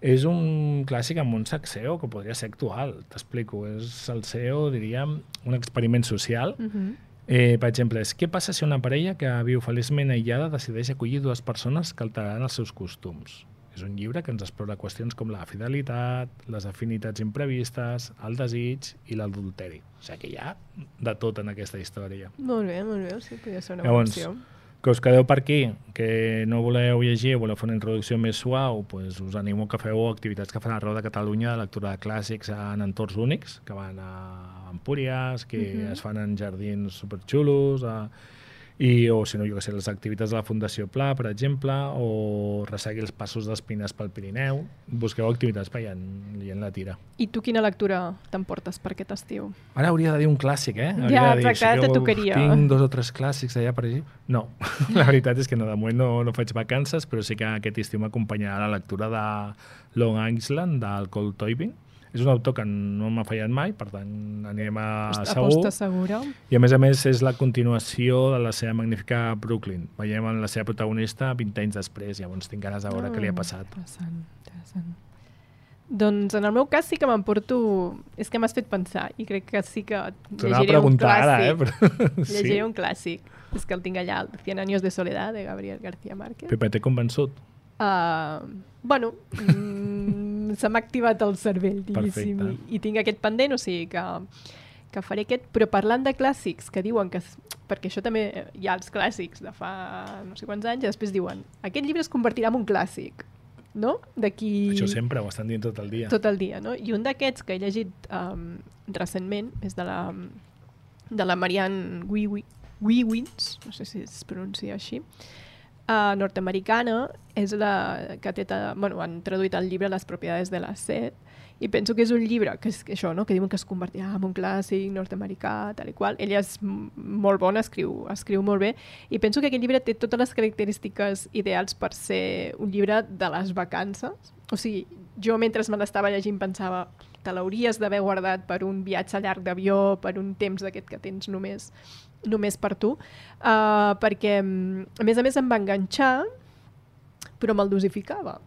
és un clàssic amb un sac S E O que podria ser actual, t'explico. És el S E O, diríem, un experiment social. Uh-huh. eh, per exemple, és què passa si una parella que viu feliçment aïllada decideix acollir dues persones que alteraran els seus costums? És un llibre que ens explora qüestions com la fidelitat, les afinitats imprevistes, el desig i l'adulteri. O sigui que hi ha de tot en aquesta història. Molt bé, molt bé, sí, podria ser una Llavors, opció. Que us quedeu per aquí, que no voleu llegir o voleu fer una introducció més suau, pues us animo que feu activitats que fan arreu de Catalunya de lectura de clàssics en entorns únics, que van a Empúries, que uh-huh. es fan en jardins superxulos, a... I, o si no, jo què sé, les activitats de la Fundació Pla, per exemple, o resseguir els passos d'Espines pel Pirineu. Busqueu activitats per allà en la tira. I tu quina lectura t'emportes per aquest estiu? Ara hauria de dir un clàssic, eh? Hauria ja, de dir, exacte, te tocaria. Tinc dos o tres clàssics allà per allà. No, la veritat és que no, de moment no, no faig vacances, però sí que aquest estiu m'acompanyarà la lectura de Long Island, del Cole Toibin. És un autor que no m'ha fallat mai, per tant anirem a Aposta segur. Aposta segura. I a més a més és la continuació de la seva magnífica Brooklyn. Veiem en la seva protagonista vint anys després, llavors tinc ganes de veure oh, què li ha passat. Interessant, interessant. Doncs en el meu cas sí que m'emporto... És que m'has fet pensar i crec que sí que llegiré un clàssic. Ara, eh? Però... llegiré sí. un clàssic. És que el tinc allà, el Cien años de soledad, de Gabriel García Márquez. Pepe, t'he convençut? Uh, bueno, mm, se m'ha activat el cervell, diguéssim, i, i tinc aquest pendent, o sigui que, que faré aquest, però parlant de clàssics, que diuen que, perquè això també hi ha els clàssics de fa no sé quants anys, i després diuen, aquest llibre es convertirà en un clàssic, no? D'aquí... Això sempre ho estan dient tot el dia. Tot el dia, no? I un d'aquests que he llegit um, recentment és de la, de la Marianne Wiewins, no sé si es pronuncia així, Uh, nord-americana, és la que té, bueno, han traduït el llibre Les propietats de la set, I penso que és un llibre que és que això, no? Que diuen que es convertirà en un clàssic nord-americà, tal i qual. Ella és molt bona, escriu, escriu molt bé, i penso que aquest llibre té totes les característiques ideals per ser un llibre de les vacances. O sigui, jo mentre me l'estava llegint pensava te l'hauries d'haver guardat per un viatge llarg d'avió, per un temps d'aquest que tens només, només per tu, uh, perquè a més a més em va enganxar, però me'l dosificava.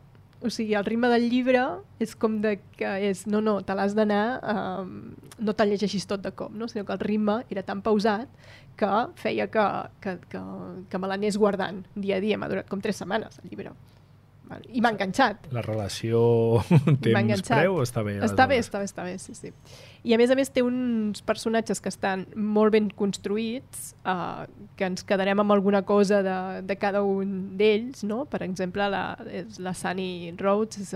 O sigui, el ritme del llibre és com de que és, no, no, te l'has d'anar, um, no te'l llegeixis tot de cop, no? Sinó que el ritme era tan pausat que feia que, que, que, que me l'anés guardant dia a dia. M'ha durat com tres setmanes el llibre. I m'ha enganxat. La relació temps-preu està bé? Està bé, està bé, està bé, sí, sí. I a més a més té uns personatges que estan molt ben construïts, eh, que ens quedarem amb alguna cosa de, de cada un d'ells, no? Per exemple, la, la Sunny Rhodes, és,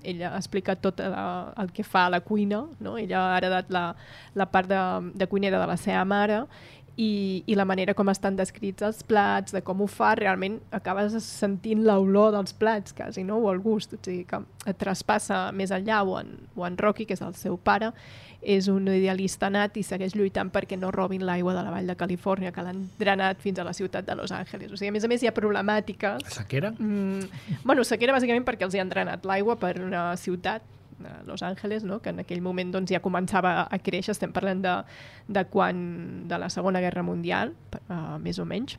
ella explica tot la, el que fa a la cuina, no? Ella ha heredat la, la part de, de cuinera de la seva mare, I, i la manera com estan descrits els plats, de com ho fa, realment acabes sentint l'olor dels plats quasi, no? O el gust, o sigui que et traspassa més enllà, o en, o en Rocky, que és el seu pare, és un idealista nat i segueix lluitant perquè no robin l'aigua de la vall de Califòrnia, que l'han drenat fins a la ciutat de Los Angeles. O sigui, a més a més hi ha problemàtiques. La sequera? Mm, bueno, sequera bàsicament perquè els hi han drenat l'aigua per una ciutat, Los Angeles, no? Que en aquell moment doncs, ja començava a créixer, estem parlant de, de quan de la Segona Guerra Mundial, uh, més o menys,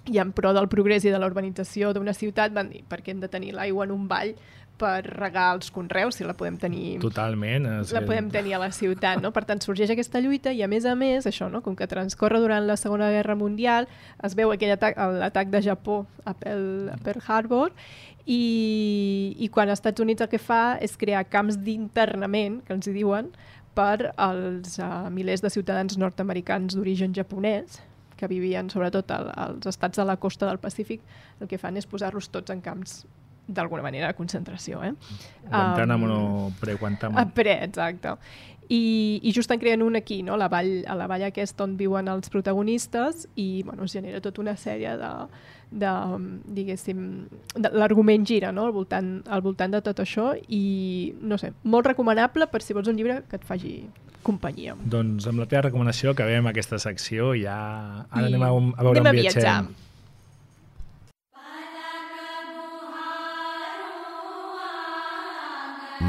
i en pro del progrés i de la urbanització d'una ciutat van dir perquè hem de tenir l'aigua en un vall per regar els conreus, si la podem tenir totalment la podem tenir a la ciutat, no? Per tant sorgeix aquesta lluita i a més a més això, no? Com que transcorre durant la Segona Guerra Mundial, es veu aquell atac, l'atac de Japó a Pearl, a Pearl Harbor, I, i quan els Estats Units el que fa és crear camps d'internament, que els hi diuen, per als uh, milers de ciutadans nord-americans d'origen japonès que vivien sobretot al, als estats de la costa del Pacífic. El que fan és posar-los tots en camps d'alguna manera de concentració. Eh? Guantánamo, um, no pre-Guantánamo. A pre, exacte. I, i just en creen un aquí, no? la vall, a la vall aquesta on viuen els protagonistes i bueno, es genera tota una sèrie de, de diguéssim, de, l'argument gira, no? al, voltant, al voltant de tot això i no sé, molt recomanable per si vols un llibre que et faci companyia. Doncs amb la teva recomanació acabem aquesta secció i ja ara I anem a, a veure anem on viatgem. Viatjar.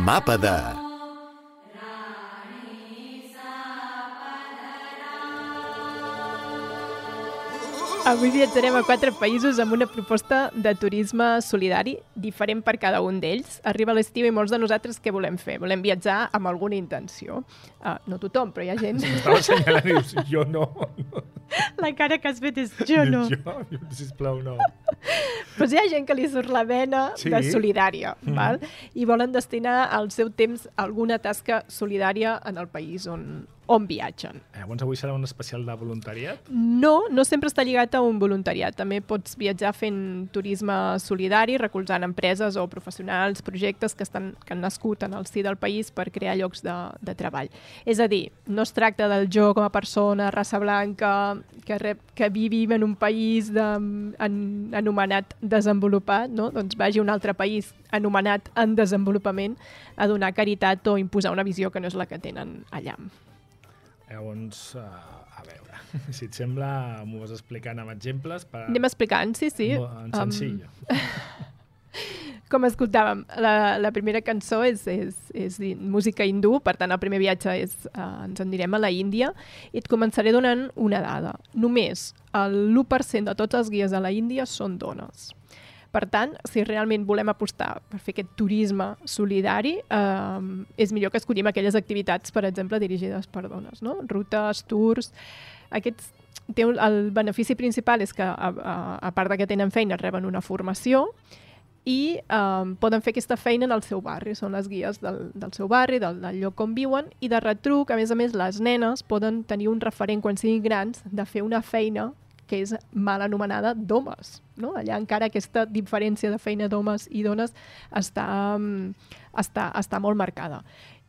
Mapa de... Avui viatjarem a quatre països amb una proposta de turisme solidari diferent per cada un d'ells. Arriba l'estiu i molts de nosaltres què volem fer? Volem viatjar amb alguna intenció. Uh, no tothom, però hi ha gent... M'estava assenyalant i dius, jo no. La cara que has fet és jo no. Jo, sisplau, no. Però hi ha gent que li surt la vena sí. de solidària, mm. val? I volen destinar el seu temps a alguna tasca solidària en el país on, on viatgen. Llavors avui serà un especial de voluntariat? No, no sempre està lligat a un voluntariat. També pots viatjar fent turisme solidari, recolzant empreses o professionals, projectes que, estan, que han nascut en el si del país per crear llocs de, de treball. És a dir, no es tracta del jo com a persona, raça blanca, que, rep, que vivim en un país de, en, anomenat desenvolupat, no? Doncs vagi a un altre país anomenat en desenvolupament a donar caritat o imposar una visió que no és la que tenen allà. Llavors, uh, a veure, si et sembla, m'ho vas explicant amb exemples. Per... Anem explicant, sí, sí. En senzill. Um... Com escoltàvem, la, la primera cançó és, és, és música hindú, per tant el primer viatge és, uh, ens en direm a la Índia, i et començaré donant una dada. Només l'u per cent de tots els guies a la Índia són dones. Per tant, si realment volem apostar per fer aquest turisme solidari, eh, és millor que escollim aquelles activitats, per exemple, dirigides per dones, no? Rutes, tours... Aquests, té un, el benefici principal és que, a, a, a part de que tenen feina, reben una formació i eh, poden fer aquesta feina en el seu barri. Són les guies del, del seu barri, del, del lloc on viuen, i de retruc, a més a més, les nenes poden tenir un referent quan siguin grans de fer una feina que és mal anomenada d'homes, no? Allà encara aquesta diferència de feina d'homes i dones està, està, està molt marcada.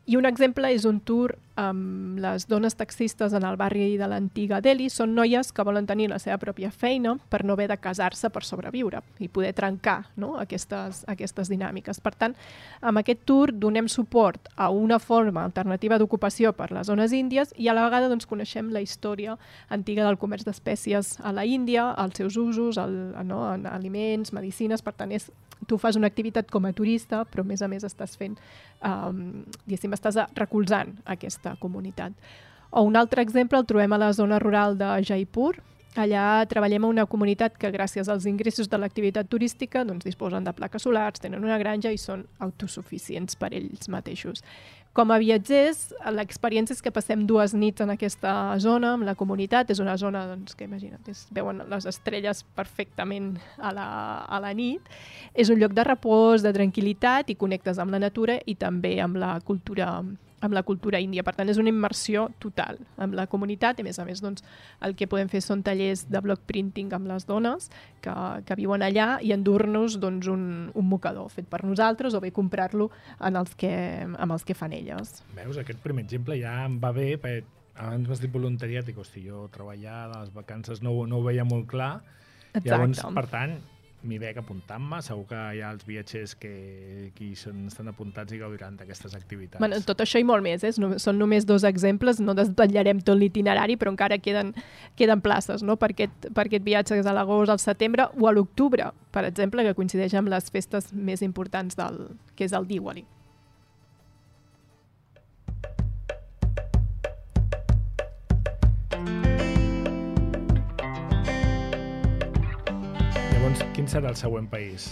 I un exemple és un tour amb les dones taxistes en el barri de l'antiga Delhi són noies que volen tenir la seva pròpia feina per no haver de casar-se per sobreviure i poder trencar, no?, aquestes, aquestes dinàmiques. Per tant, amb aquest tour donem suport a una forma alternativa d'ocupació per les zones índies i a la vegada doncs, coneixem la història antiga del comerç d'espècies a la Índia, els seus usos, el, no, en aliments, medicines. Per tant, és, tu fas una activitat com a turista, però a més a més estàs fent, um, diguéssim, estàs recolzant aquesta comunitat. O un altre exemple el trobem a la zona rural de Jaipur. Allà treballem a una comunitat que gràcies als ingressos de l'activitat turística doncs, disposen de plaques solars, tenen una granja i són autosuficients per ells mateixos. Com a viatgers, l'experiència és que passem dues nits en aquesta zona, amb la comunitat. És una zona doncs, que, imagina't, es veuen les estrelles perfectament a la, a la nit. És un lloc de repòs, de tranquil·litat i connectes amb la natura i també amb la cultura amb la cultura índia. Per tant, és una immersió total amb la comunitat i, a més a més, doncs, el que podem fer són tallers de block printing amb les dones que, que viuen allà i endur-nos doncs, un, un mocador fet per nosaltres o bé comprar-lo en els que, amb els que fan elles. Veus, aquest primer exemple ja em va bé, perquè abans m'has dit voluntariat i hosti, jo treballar a les vacances no, no ho veia molt clar. Exacte. Llavors, per tant, m'hi veig apuntant-me, segur que hi ha els viatgers que aquí són, estan apuntats i gaudiran d'aquestes activitats. Bueno, tot això i molt més, eh? Són només dos exemples, no desvetllarem tot l'itinerari, però encara queden, queden places, no?, per aquest, per aquest viatge a l'agost, al setembre o a l'octubre, per exemple, que coincideix amb les festes més importants del, que és el Diwali. Quin serà el següent país?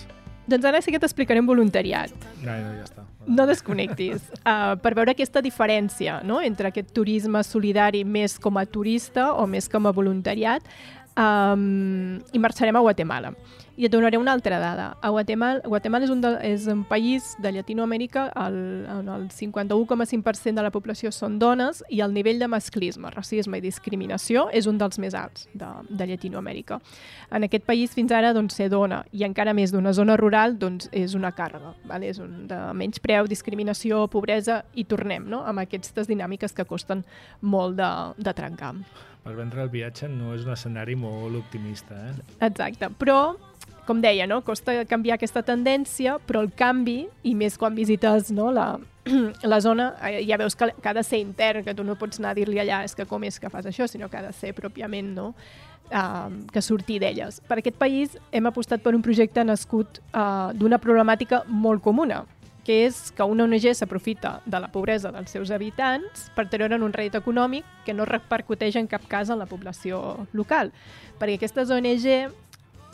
Doncs ara sí que t'explicarem voluntariat. No, no, ja està. No desconnectis. Uh, per veure aquesta diferència, no?, entre aquest turisme solidari més com a turista o més com a voluntariat, um, i marxarem a Guatemala. I et donaré una altra dada. A Guatemala, Guatemala és, un de, és un país de Llatinoamèrica el, on el cinquanta-u coma cinc per cent de la població són dones i el nivell de masclisme, racisme i discriminació és un dels més alts de, de Llatinoamèrica. En aquest país fins ara doncs, ser dona i encara més d'una zona rural doncs, és una càrrega. Vale? És un de menyspreu, discriminació, pobresa i tornem, no?, amb aquestes dinàmiques que costen molt de, de trencar. Per vendre el viatge no és un escenari molt optimista, eh? Exacte, però com deia, no? Costa canviar aquesta tendència, però el canvi, i més quan visites, no, la, la zona, ja veus que, que ha de ser intern, que tu no pots anar a dir-li allà és que com és que fas això, sinó que ha de ser pròpiament, no?, uh, que sortir d'elles. Per aquest país hem apostat per un projecte nascut uh, d'una problemàtica molt comuna, que és que una O N G s'aprofita de la pobresa dels seus habitants per treure'n un rèdit econòmic que no repercuteix en cap cas en la població local. Perquè aquestes O N G,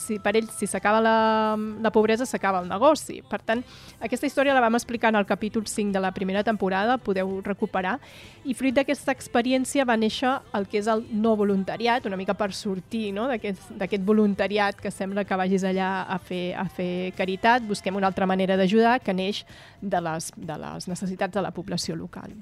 si per ells, si s'acaba la, la pobresa, s'acaba el negoci. Per tant, aquesta història la vam explicar en el capítol cinc de la primera temporada, podeu recuperar, i fruit d'aquesta experiència va néixer el que és el no voluntariat, una mica per sortir, no?, d'aquest voluntariat que sembla que vagis allà a fer, a fer caritat, busquem una altra manera d'ajudar que neix de les, de les necessitats de la població local.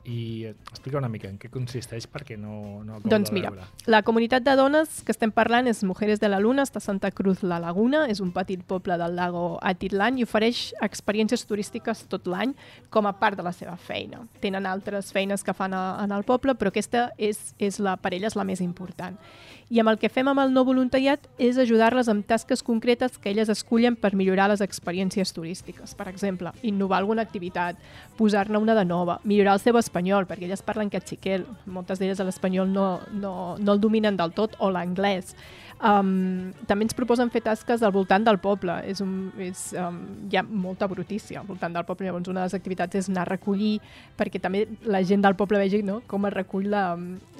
I explica una mica en què consisteix perquè no, no acabo doncs de mira, veure. La comunitat de dones que estem parlant és Mujeres de la Luna, està a Santa Cruz la Laguna, és un petit poble del lago Atitlán i ofereix experiències turístiques tot l'any com a part de la seva feina. Tenen altres feines que fan a, en el poble, però aquesta és, és la, per elles la més important. I amb el que fem amb el no voluntariat és ajudar-les amb tasques concretes que elles escullen per millorar les experiències turístiques. Per exemple, innovar alguna activitat, posar-ne una de nova, millorar el seu espanyol, perquè elles parlen cachiquel, moltes d'elles l'espanyol no, no, no el dominen del tot, o l'anglès. Um, també ens proposen fer tasques al voltant del poble. És un, és, um, hi ha molta brutícia al voltant del poble. Llavors, una de les activitats és anar a recollir, perquè també la gent del poble vegi, no?, com es recull la,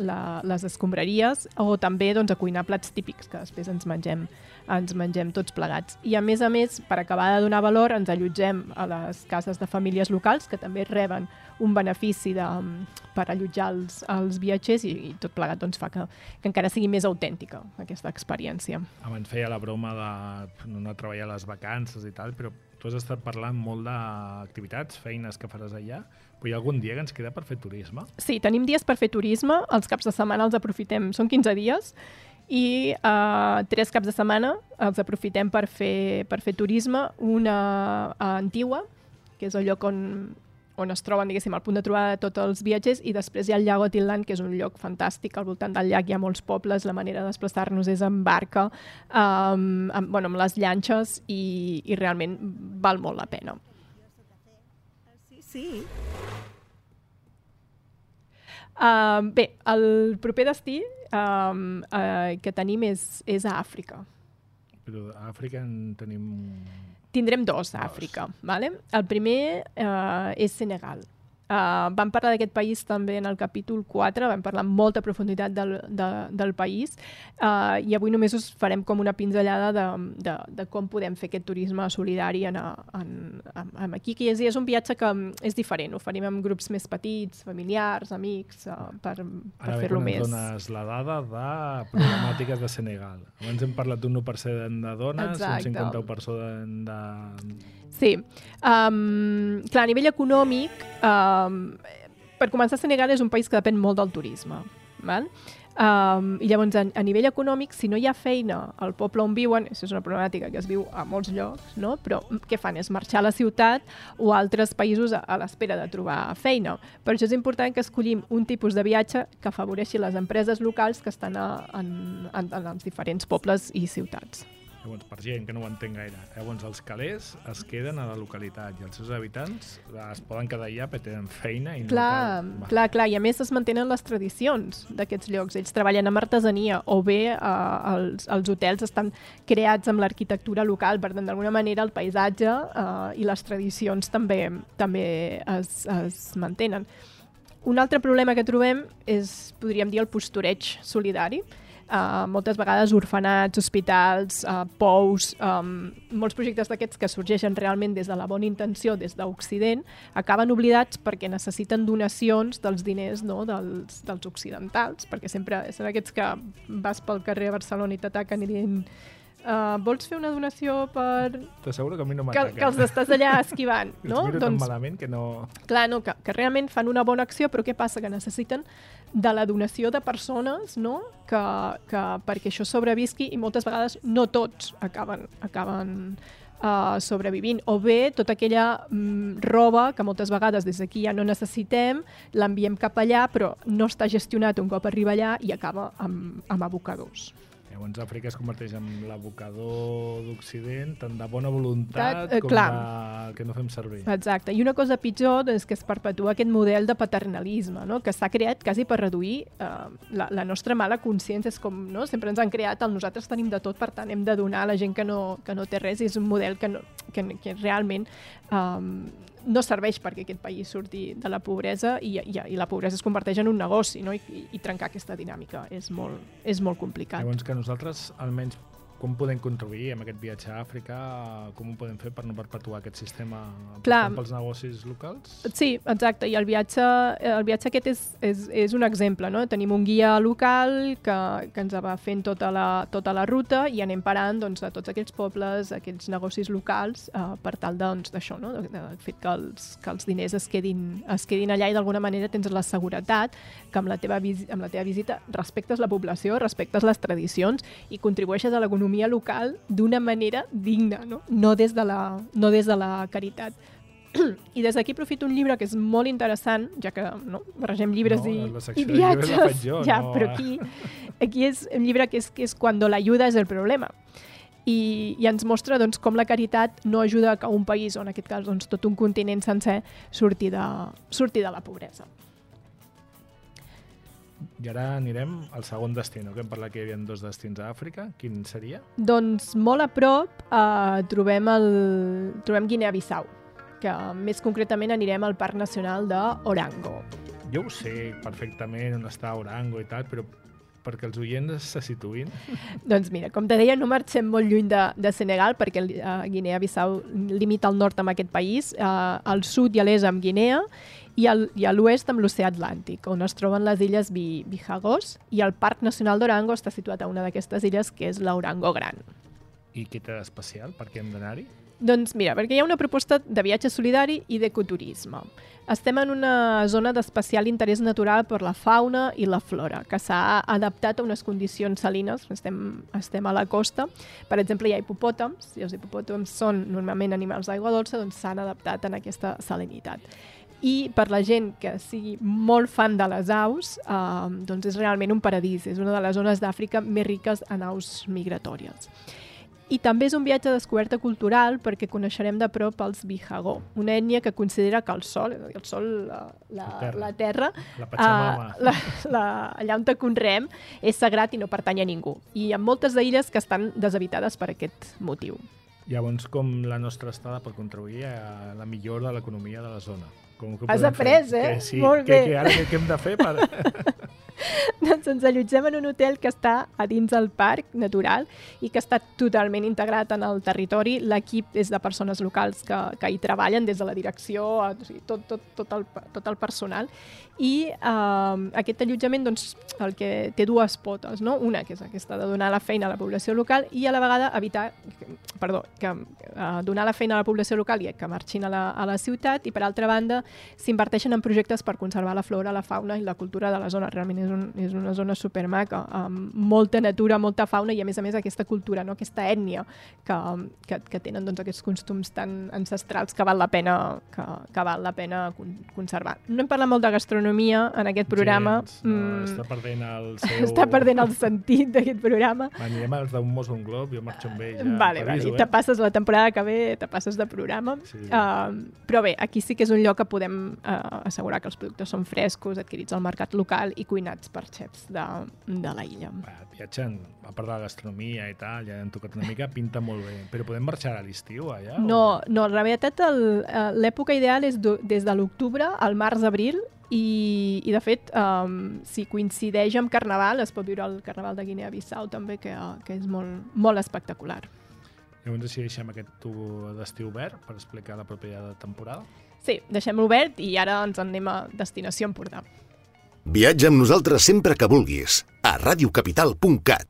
la, les escombraries, o també doncs, a cuinar plats típics que després ens mengem, ens mengem tots plegats. I a més a més, per acabar de donar valor, ens allotgem a les cases de famílies locals que també reben un benefici de, per allotjar els, els viatgers i, i tot plegat doncs, fa que, que encara sigui més autèntica aquesta experiència. Abans feia la broma de no anar a treballar a les vacances i tal, però tu has estat parlant molt d'activitats, feines que faràs allà, però hi ha algun dia que ens queda per fer turisme? Sí, tenim dies per fer turisme, els caps de setmana els aprofitem, són quinze dies, i uh, tres caps de setmana els aprofitem per fer, per fer turisme, una a Antigua, que és el lloc on, on es troben, diguéssim, al punt de trobada de tots els viatgers, i després hi ha el llac Otilland, que és un lloc fantàstic. Al voltant del llac hi ha molts pobles, la manera de desplaçar-nos és en barca, um, amb, bueno, amb les llanxes, i, i realment val molt la pena. Sí, sí. Uh, bé, el proper destí um, uh, que tenim és, és a Àfrica. Però a Àfrica en tenim... Tindrem dos a Àfrica. Vale? El primer uh, és Senegal. Uh, vam parlar d'aquest país també en el capítol quatre, vam parlar amb molta profunditat del, de, del país, uh, i avui només us farem com una pinzellada de, de, de com podem fer aquest turisme solidari en, en, en, en aquí, que és, és un viatge que és diferent, ho farem amb grups més petits, familiars, amics, uh, per, per fer-lo més. Ara bé, quan ens dones la dada de problemàtiques de Senegal. Abans hem parlat d'un u per cent de dones, Exacte. un cinquanta u per cent de... Sí. Um, clar, a nivell econòmic, um, per començar, Senegal és un país que depèn molt del turisme. Val? Um, I llavors, a, a nivell econòmic, si no hi ha feina al poble on viuen, això és una problemàtica que es viu a molts llocs, no? Però què fan? És marxar a la ciutat o a altres països a, a l'espera de trobar feina. Per això és important que escollim un tipus de viatge que afavoreixi les empreses locals que estan a, en, en, en els diferents pobles i ciutats. Llavors, per gent que no ho entén gaire, llavors els calés es queden a la localitat i els seus habitants es poden quedar allà perquè tenen feina i no clar, cal... clar, clar, i a més es mantenen les tradicions d'aquests llocs. Ells treballen amb artesania o bé eh, els, els hotels estan creats amb l'arquitectura local, per tant, d'alguna manera el paisatge eh, i les tradicions també, també es, es mantenen. Un altre problema que trobem és, podríem dir, el postureig solidari. Uh, moltes vegades orfenats, hospitals, uh, pous, um, molts projectes d'aquests que sorgeixen realment des de la bona intenció, des d'Occident, acaben oblidats perquè necessiten donacions dels diners, no? dels, dels occidentals, perquè sempre són aquests que vas pel carrer a Barcelona i t'ataquen i diuen uh, vols fer una donació per... T'asseguro que a mi no que, m'ataquen. que els estàs allà esquivant, no? Els miro doncs, tan malament que no... Clar, no, que, que realment fan una bona acció, però què passa? Que necessiten de la donació de persones, no? Que, que perquè això sobrevisqui, i moltes vegades no tots acaben, acaben uh, sobrevivint. O bé, tota aquella mm, roba que moltes vegades des d'aquí ja no necessitem, l'enviem cap allà, però no està gestionat un cop arriba allà i acaba amb, amb abocadors. Llavors Àfrica es converteix en l'abocador d'Occident, tant de bona voluntat eh, com clar. de que no fem servir. Exacte. I una cosa pitjor és que es perpetua aquest model de paternalisme, no? Que s'ha creat quasi per reduir eh, la, la nostra mala consciència. És com, no? Sempre ens han creat el nosaltres tenim de tot, per tant hem de donar a la gent que no, que no té res, i és un model que, no, que, que realment um, no serveix perquè aquest país surti de la pobresa, i, i, i la pobresa es converteix en un negoci, no? I, i, i trencar aquesta dinàmica és molt, és molt complicat. Llavors que nosaltres, almenys, com podem contribuir amb aquest viatge a Àfrica, com ho podem fer per no perpetuar aquest sistema pels negocis locals? Sí, exacte, i el viatge, el viatge aquest és, és, és un exemple, no? Tenim un guia local que, que ens va fent tota la, tota la ruta, i anem parant, doncs, a tots aquells pobles, aquells negocis locals, eh, per tal doncs, d'això, no? De, de fet que els, que els diners es quedin, es quedin allà, i d'alguna manera tens la seguretat que amb la teva, amb la teva visita respectes la població, respectes les tradicions i contribueixes a l'economia local d'una manera digna, no? No des de la, no des de la caritat. I des d'aquí aprofito un llibre que és molt interessant, ja que no, barregem llibres no, i, i viatges, jo, ja, no. Però aquí, aquí és un llibre que és, que és Cuando la ayuda es el problema. I, i ens mostra doncs, com la caritat no ajuda a un país, o en aquest cas doncs, tot un continent sencer, surti de, surti de la pobresa. I ara anirem al segon destí, no? Que hem parlat que hi havia dos destins a Àfrica. Quin seria? Doncs molt a prop eh, trobem, el, trobem Guinea-Bissau, que més concretament anirem al Parc Nacional d'Orango. Jo ho sé perfectament on està Orango i tal, però perquè els oients se situïn. Doncs mira, com te deia, no marxem molt lluny de, de Senegal, perquè el, uh, Guinea-Bissau limita al nord amb aquest país, uh, al sud i a l'est amb Guinea, i, al, i a l'oest amb l'oceà Atlàntic, on es troben les illes Bijagos, i el Parc Nacional d'Orango està situat a una d'aquestes illes, que és l'Orango Gran. I què té d'especial? Per què hem d'anar-hi? Doncs mira, perquè hi ha una proposta de viatge solidari i d'ecoturisme. Estem en una zona d'especial interès natural per la fauna i la flora, que s'ha adaptat a unes condicions salines. Estem, estem a la costa. Per exemple, hi ha hipopòtams, i els hipopòtams són normalment animals d'aigua dolça, doncs s'han adaptat en aquesta salinitat. i per la gent que sigui molt fan de les aus, eh, doncs és realment un paradís, és una de les zones d'Àfrica més riques en aus migratòries. I també és un viatge de descoberta cultural perquè coneixerem de prop els Bihagó, una ètnia que considera que el sol, el sol, la, la, terra. la terra, La Pachamama. uh, la, la, allà on te conreem, és sagrat i no pertany a ningú. I hi ha moltes d'illes que estan deshabitades per aquest motiu. Llavors, com la nostra estada pot contribuir a la millora de l'economia de la zona? Com que Has podem après, fer? eh? Que sí, Molt que, bé. que ara què, què hem de fer per... Doncs ens allotgem en un hotel que està a dins del parc natural i que està totalment integrat en el territori. L'equip és de persones locals que, que hi treballen des de la direcció, o sigui, tot, tot, tot, el, tot el personal. I eh, aquest allotjament doncs, el que té dues potes, no? Una que és aquesta de donar la feina a la població local i a la vegada evitar, perdó, que eh, donar la feina a la població local i que marxin a la, a la ciutat, i per altra banda s'inverteixen en projectes per conservar la flora, la fauna i la cultura de la zona. Realment és, un, és una zona supermaca, amb molta natura, molta fauna i a més a més aquesta cultura, no? Aquesta ètnia que, que, que tenen doncs, aquests costums tan ancestrals que val la pena, que, que val la pena conservar. No hem parlat molt de gastronomia en aquest programa. Gens, no, Mm, està perdent el seu... està perdent el sentit d'aquest programa. Anirem als d'un mos un glob, jo marxo amb ell. Ja, Vale, vale. I te passes la temporada que ve, te passes de programa. Sí. Uh, però bé, aquí sí que és un lloc que podem uh, assegurar que els productes són frescos, adquirits al mercat local i cuinats per xefs de, de la illa. Va, viatgen, a part de la gastronomia i tal, ja hem tocat una mica, pinta molt bé. Però podem marxar a l'estiu allà? No, no, la veritat el- eh, l'època ideal és do, des de l'octubre al març-abril i, i de fet um, si coincideix amb Carnaval es pot viure el Carnaval de Guinea-Bissau també que, que és molt, molt espectacular. Llavors, si deixem aquest tu- destí obert per explicar la pròpia temporada. Sí, deixem-lo obert i ara ens en anem a Destinació Empordà. Viatja amb nosaltres sempre que vulguis a radiocapital punt cat.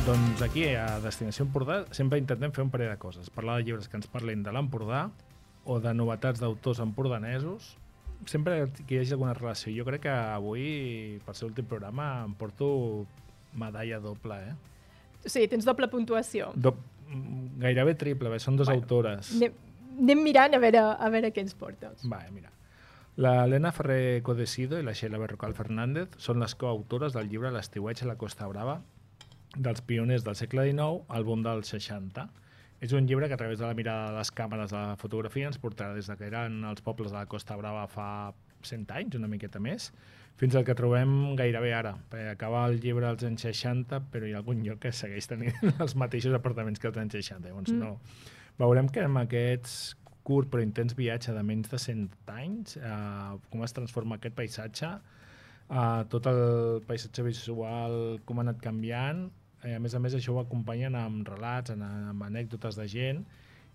Doncs aquí, a Destinació Empordà, sempre intentem fer un parell de coses. Parlar de llibres que ens parlin de l'Empordà o de novetats d'autors empordanesos. Sempre que hi hagi alguna relació. Jo crec que avui, per ser l'últim programa, em porto medalla doble, eh? O sigui, tens doble puntuació. Do gairebé triple, bé, són dues Bueno, autores. Anem, anem mirant a veure, a veure què ens portes. Va, mira. La Elena Ferrer Codesido i la Sheila Berrocal Fernández són les coautores del llibre L'estiueig a la Costa Brava, dels pioners del segle dinou al boom dels seixanta. És un llibre que a través de la mirada de les càmeres de la fotografia ens portarà des que eren els pobles de la Costa Brava fa cent anys, una miqueta més, fins al que trobem gairebé ara. Perquè acaba el llibre als anys seixanta, però hi ha algun lloc que segueix tenint els mateixos apartaments que als anys seixanta. Llavors, Mm. no. Veurem que amb aquests curt però intens viatge de menys de cent anys, eh, com es transforma aquest paisatge, eh, tot el paisatge visual, com ha anat canviant. Eh, a més a més, això ho acompanyen amb relats, amb, amb anècdotes de gent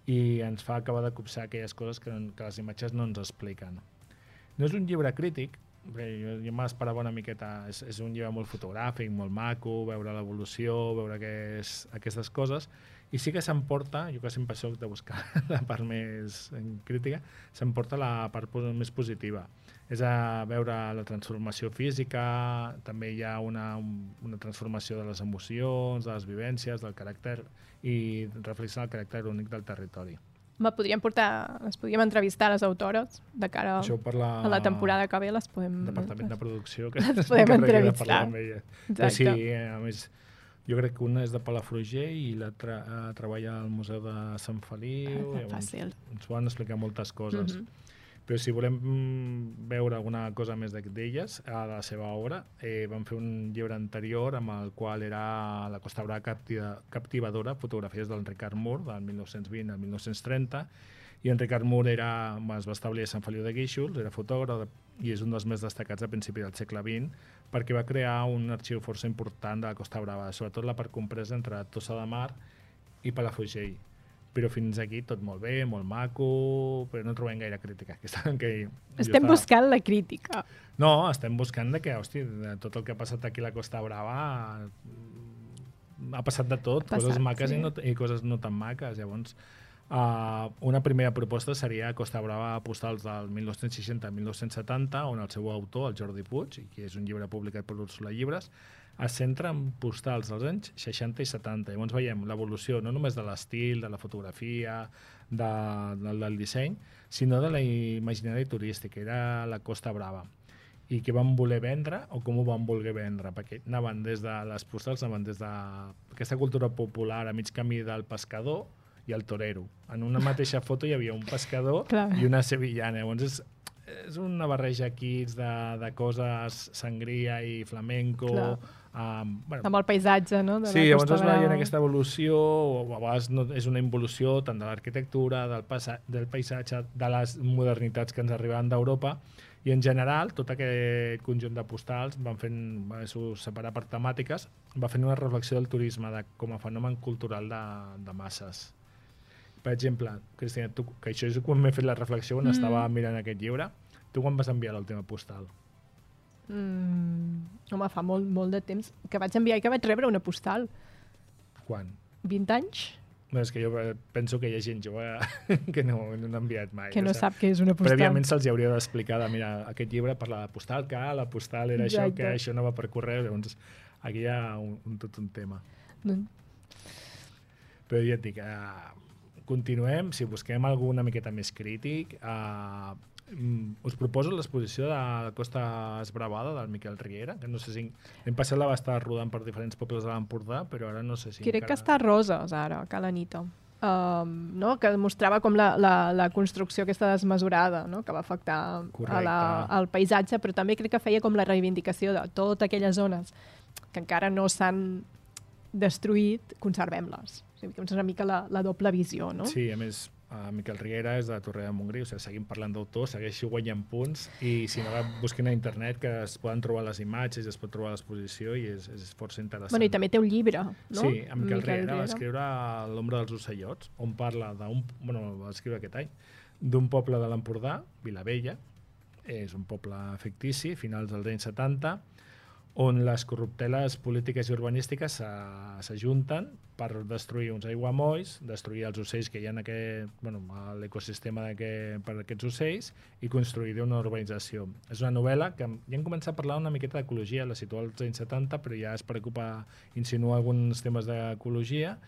i ens fa acabar de copsar aquelles coses que, que les imatges no ens expliquen. No és un llibre crític, bé, jo, jo m'esperava una miqueta, és, és un llibre molt fotogràfic, molt maco, veure l'evolució, veure aquest, aquestes coses, i sí que s'emporta, jo que sempre soc de buscar la part més crítica, s'emporta la part més positiva. És a veure la transformació física, també hi ha una, una transformació de les emocions, de les vivències, del caràcter, i reflexiona el caràcter únic del territori. Me podríem portar, les podríem entrevistar a les autores de cara Això per la... a la temporada que ve, les podem... Departament de producció que Les es podem encarregui de entrevistar. parlar amb ella. Però sí, a més, jo crec que una és de Palafrugell i l'altra uh, treballa al Museu de Sant Feliu. Ah, fàcil. Ens poden explicar moltes coses. Mhm. Però si volem mm, veure alguna cosa més d'elles, a la seva obra, eh, vam fer un llibre anterior amb el qual era La Costa Brava captiva, captivadora, fotografies del Ricard Mur, del mil nou-cents vint al mil nou-cents trenta, i en Ricard Mur era, es va establir a Sant Feliu de Guíxols, era fotògraf i és un dels més destacats a principi del segle vint, perquè va crear un arxiu força important de la Costa Brava, sobretot la part compresa entre Tossa de Mar i Palafrugell. Però fins aquí tot molt bé, molt maco, però no trobem gaire crítica. Que està, que Estem estava... buscant la crítica. No, estem buscant de que, hosti, de tot el que ha passat aquí a la Costa Brava ha passat de tot, Passat, coses maques sí. i, no, i coses no tan maques. Llavors, uh, una primera proposta seria Costa Brava postals del mil nou-cents seixanta a mil nou-cents setanta, on el seu autor, el Jordi Puig, que és un llibre publicat per Úrsula Llibres, es centra en postals dels anys seixanta i setanta. Llavors veiem l'evolució no només de l'estil, de la fotografia, de, de, del disseny, sinó de la imaginari turística, era la Costa Brava. I què van voler vendre o com ho van voler vendre, perquè anaven des de les postals, anaven des d'aquesta cultura popular a mig camí del pescador i el torero. En una mateixa foto hi havia un pescador Clar. i una sevillana. Llavors és, és una barreja aquí de, de coses, sangria i flamenco. Um, bueno, amb el paisatge, no? De sí, la llavors Costa es Brava. veia aquesta evolució, o a vegades no, és una involució tant de l'arquitectura, del, del paisatge, de les modernitats que ens arribaven d'Europa, i en general tot aquest conjunt de postals van fent, va separar per temàtiques, va fent una reflexió del turisme de, com a fenomen cultural de, de masses. Per exemple, Cristina, tu, que això és quan m'he fet la reflexió quan mm. estava mirant aquest llibre, tu quan vas enviar l'última postal? Mm, home, fa molt, molt de temps que vaig enviar i que vaig rebre una postal. Quan? vint anys? No, és que jo penso que hi ha gent jove que no, no n'ha enviat mai. Que no o sigui, sap què és una postal. Prèviament se'ls hauria d'explicar de, mira, aquest llibre parla de postal, que la postal era Exacte. això, que això no va per correu, llavors aquí hi ha un, un, tot un tema. No. Però ja et dic, uh, continuem, si busquem algú una miqueta més crític, uh, us proposo l'exposició de la Costa Esbravada del Miquel Riera, que no sé si l'any passat la va estar rodant per diferents pobles de l'Empordà, però ara no sé si Crec encara... que està a Roses ara, a Cala Nita, um, no? Que mostrava com la, la, la construcció aquesta desmesurada, no? Que va afectar a la, al paisatge, però també crec que feia com la reivindicació de totes aquelles zones que encara no s'han destruït, conservem-les. O sigui, és una mica la, la doble visió, no? Sí, a més, Uh, Miquel Riera és de Torre de Montgrí, o sigui, seguim parlant d'autors, segueixo guanyant punts, i si no, busquin a internet que es poden trobar les imatges, es pot trobar l'exposició i és, és força interessant. Bueno, i també té un llibre, no? Sí, en Miquel, Miquel Riera, Riera va escriure L'ombra dels ocellots, on parla d'un, bueno, va escriure aquest any, d'un poble de l'Empordà, Vilavella, és un poble fictici, finals dels anys setanta, on les corrupteles polítiques i urbanístiques s'ajunten per destruir uns aiguamolls, destruir els ocells que hi ha en aquest, bueno, l'ecosistema per aquests ocells i construir una urbanització. És una novel·la que ja hem començat a parlar una miqueta d'ecologia, la situa als anys setanta, però ja es preocupa insinuar alguns temes d'ecologia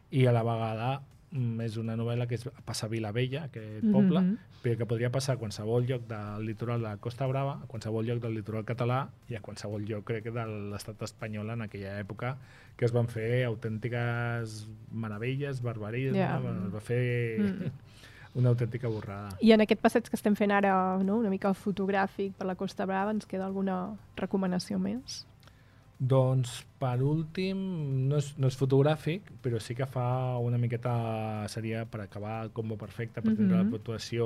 i a la vegada és una novel·la que es passa a Vilavella, aquest poble, mm-hmm. però que podria passar a qualsevol lloc del litoral de la Costa Brava, a qualsevol lloc del litoral català i a qualsevol lloc, crec, de l'estat espanyol en aquella època, que es van fer autèntiques meravelles, barbaries, yeah. no? Es va fer mm. una autèntica borrada. I en aquest passeig que estem fent ara, no? Una mica fotogràfic per la Costa Brava, ens queda alguna recomanació més? Doncs, per últim, no és, no és fotogràfic, però sí que fa una miqueta, seria per acabar el combo perfecte, per tindre mm-hmm. la puntuació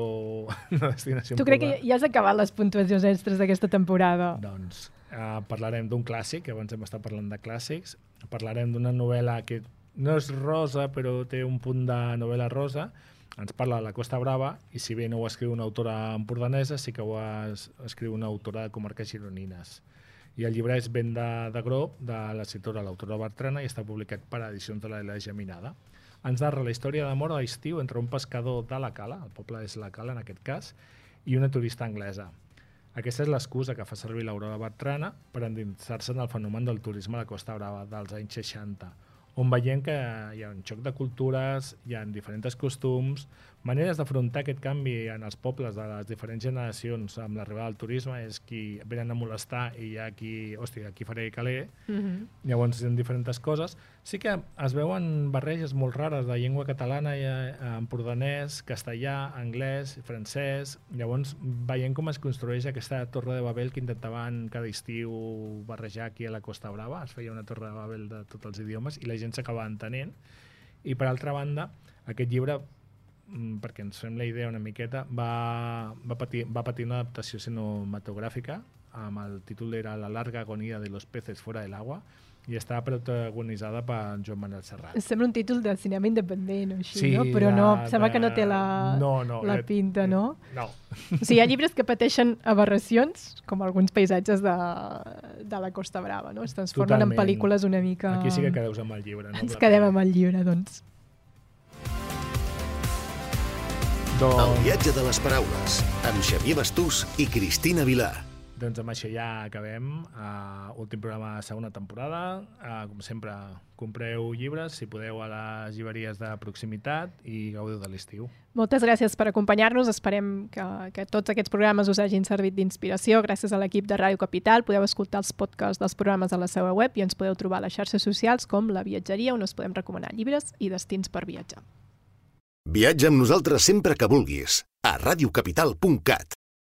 de destinació. Tu crec que ja has acabat les puntuacions extres d'aquesta temporada? Doncs uh, parlarem d'un clàssic, abans hem estat parlant de clàssics, parlarem d'una novel·la que no és rosa, però té un punt de novel·la rosa, ens parla de la Costa Brava, i si bé no ho escriu una autora empordanesa, sí que ho es, escriu una autora de comarques gironines. I el llibre és Venda de Grob, de l'escriptora, l'autora Bertrana, i està publicat per edicions de la Geminada. Ens narra la història d'amor a l'estiu entre un pescador de la Cala, el poble és la Cala en aquest cas, i una turista anglesa. Aquesta és l'excusa que fa servir l'Aurora Bertrana per endinsar-se en el fenomen del turisme a la Costa Brava dels anys seixanta, on veiem que hi ha un xoc de cultures, hi ha diferents costums, maneres d'afrontar aquest canvi en els pobles de les diferents generacions amb l'arribada del turisme, és qui venen a molestar i hi ha qui, hòstia, aquí faré caler, mm-hmm. llavors hi ha diferents coses. Sí que es veuen barreges molt rares de llengua catalana, empordanès, castellà, anglès, francès, llavors veiem com es construeix aquesta Torre de Babel que intentaven cada estiu barrejar aquí a la Costa Brava, es feia una Torre de Babel de tots els idiomes i la gent s'acaba entenent. I per altra banda, aquest llibre, perquè ens fem la idea una miqueta, va, va, patir, va patir una adaptació cinematogràfica, amb el títol era La larga agonía de los peces fuera del agua, i està protagonitzada per Joan Manuel Serrat. Sembla un títol de cinema independent o així, sí, no? Però de, no, sembla de... que no té la, no, no, la pinta, no? No. O sigui, hi ha llibres que pateixen aberracions, com alguns paisatges de, de la Costa Brava, no? Es transformen Totalment. En pel·lícules una mica... Aquí sí que quedeu amb el llibre. No? Ens quedem amb el llibre, doncs. doncs. El viatge de les paraules, amb Xavier Bastús i Cristina Vilà. Doncs amb això ja acabem. Uh, últim programa de segona temporada. Uh, com sempre, compreu llibres, si podeu, a les llibreries de proximitat i gaudiu de l'estiu. Moltes gràcies per acompanyar-nos. Esperem que, que tots aquests programes us hagin servit d'inspiració. Gràcies a l'equip de Ràdio Capital. Podeu escoltar els podcasts dels programes a la seva web i ens podeu trobar a les xarxes socials com La Viatgeria, on us podem recomanar llibres i destins per viatjar. Viatja amb nosaltres sempre que vulguis a radiocapital punt cat.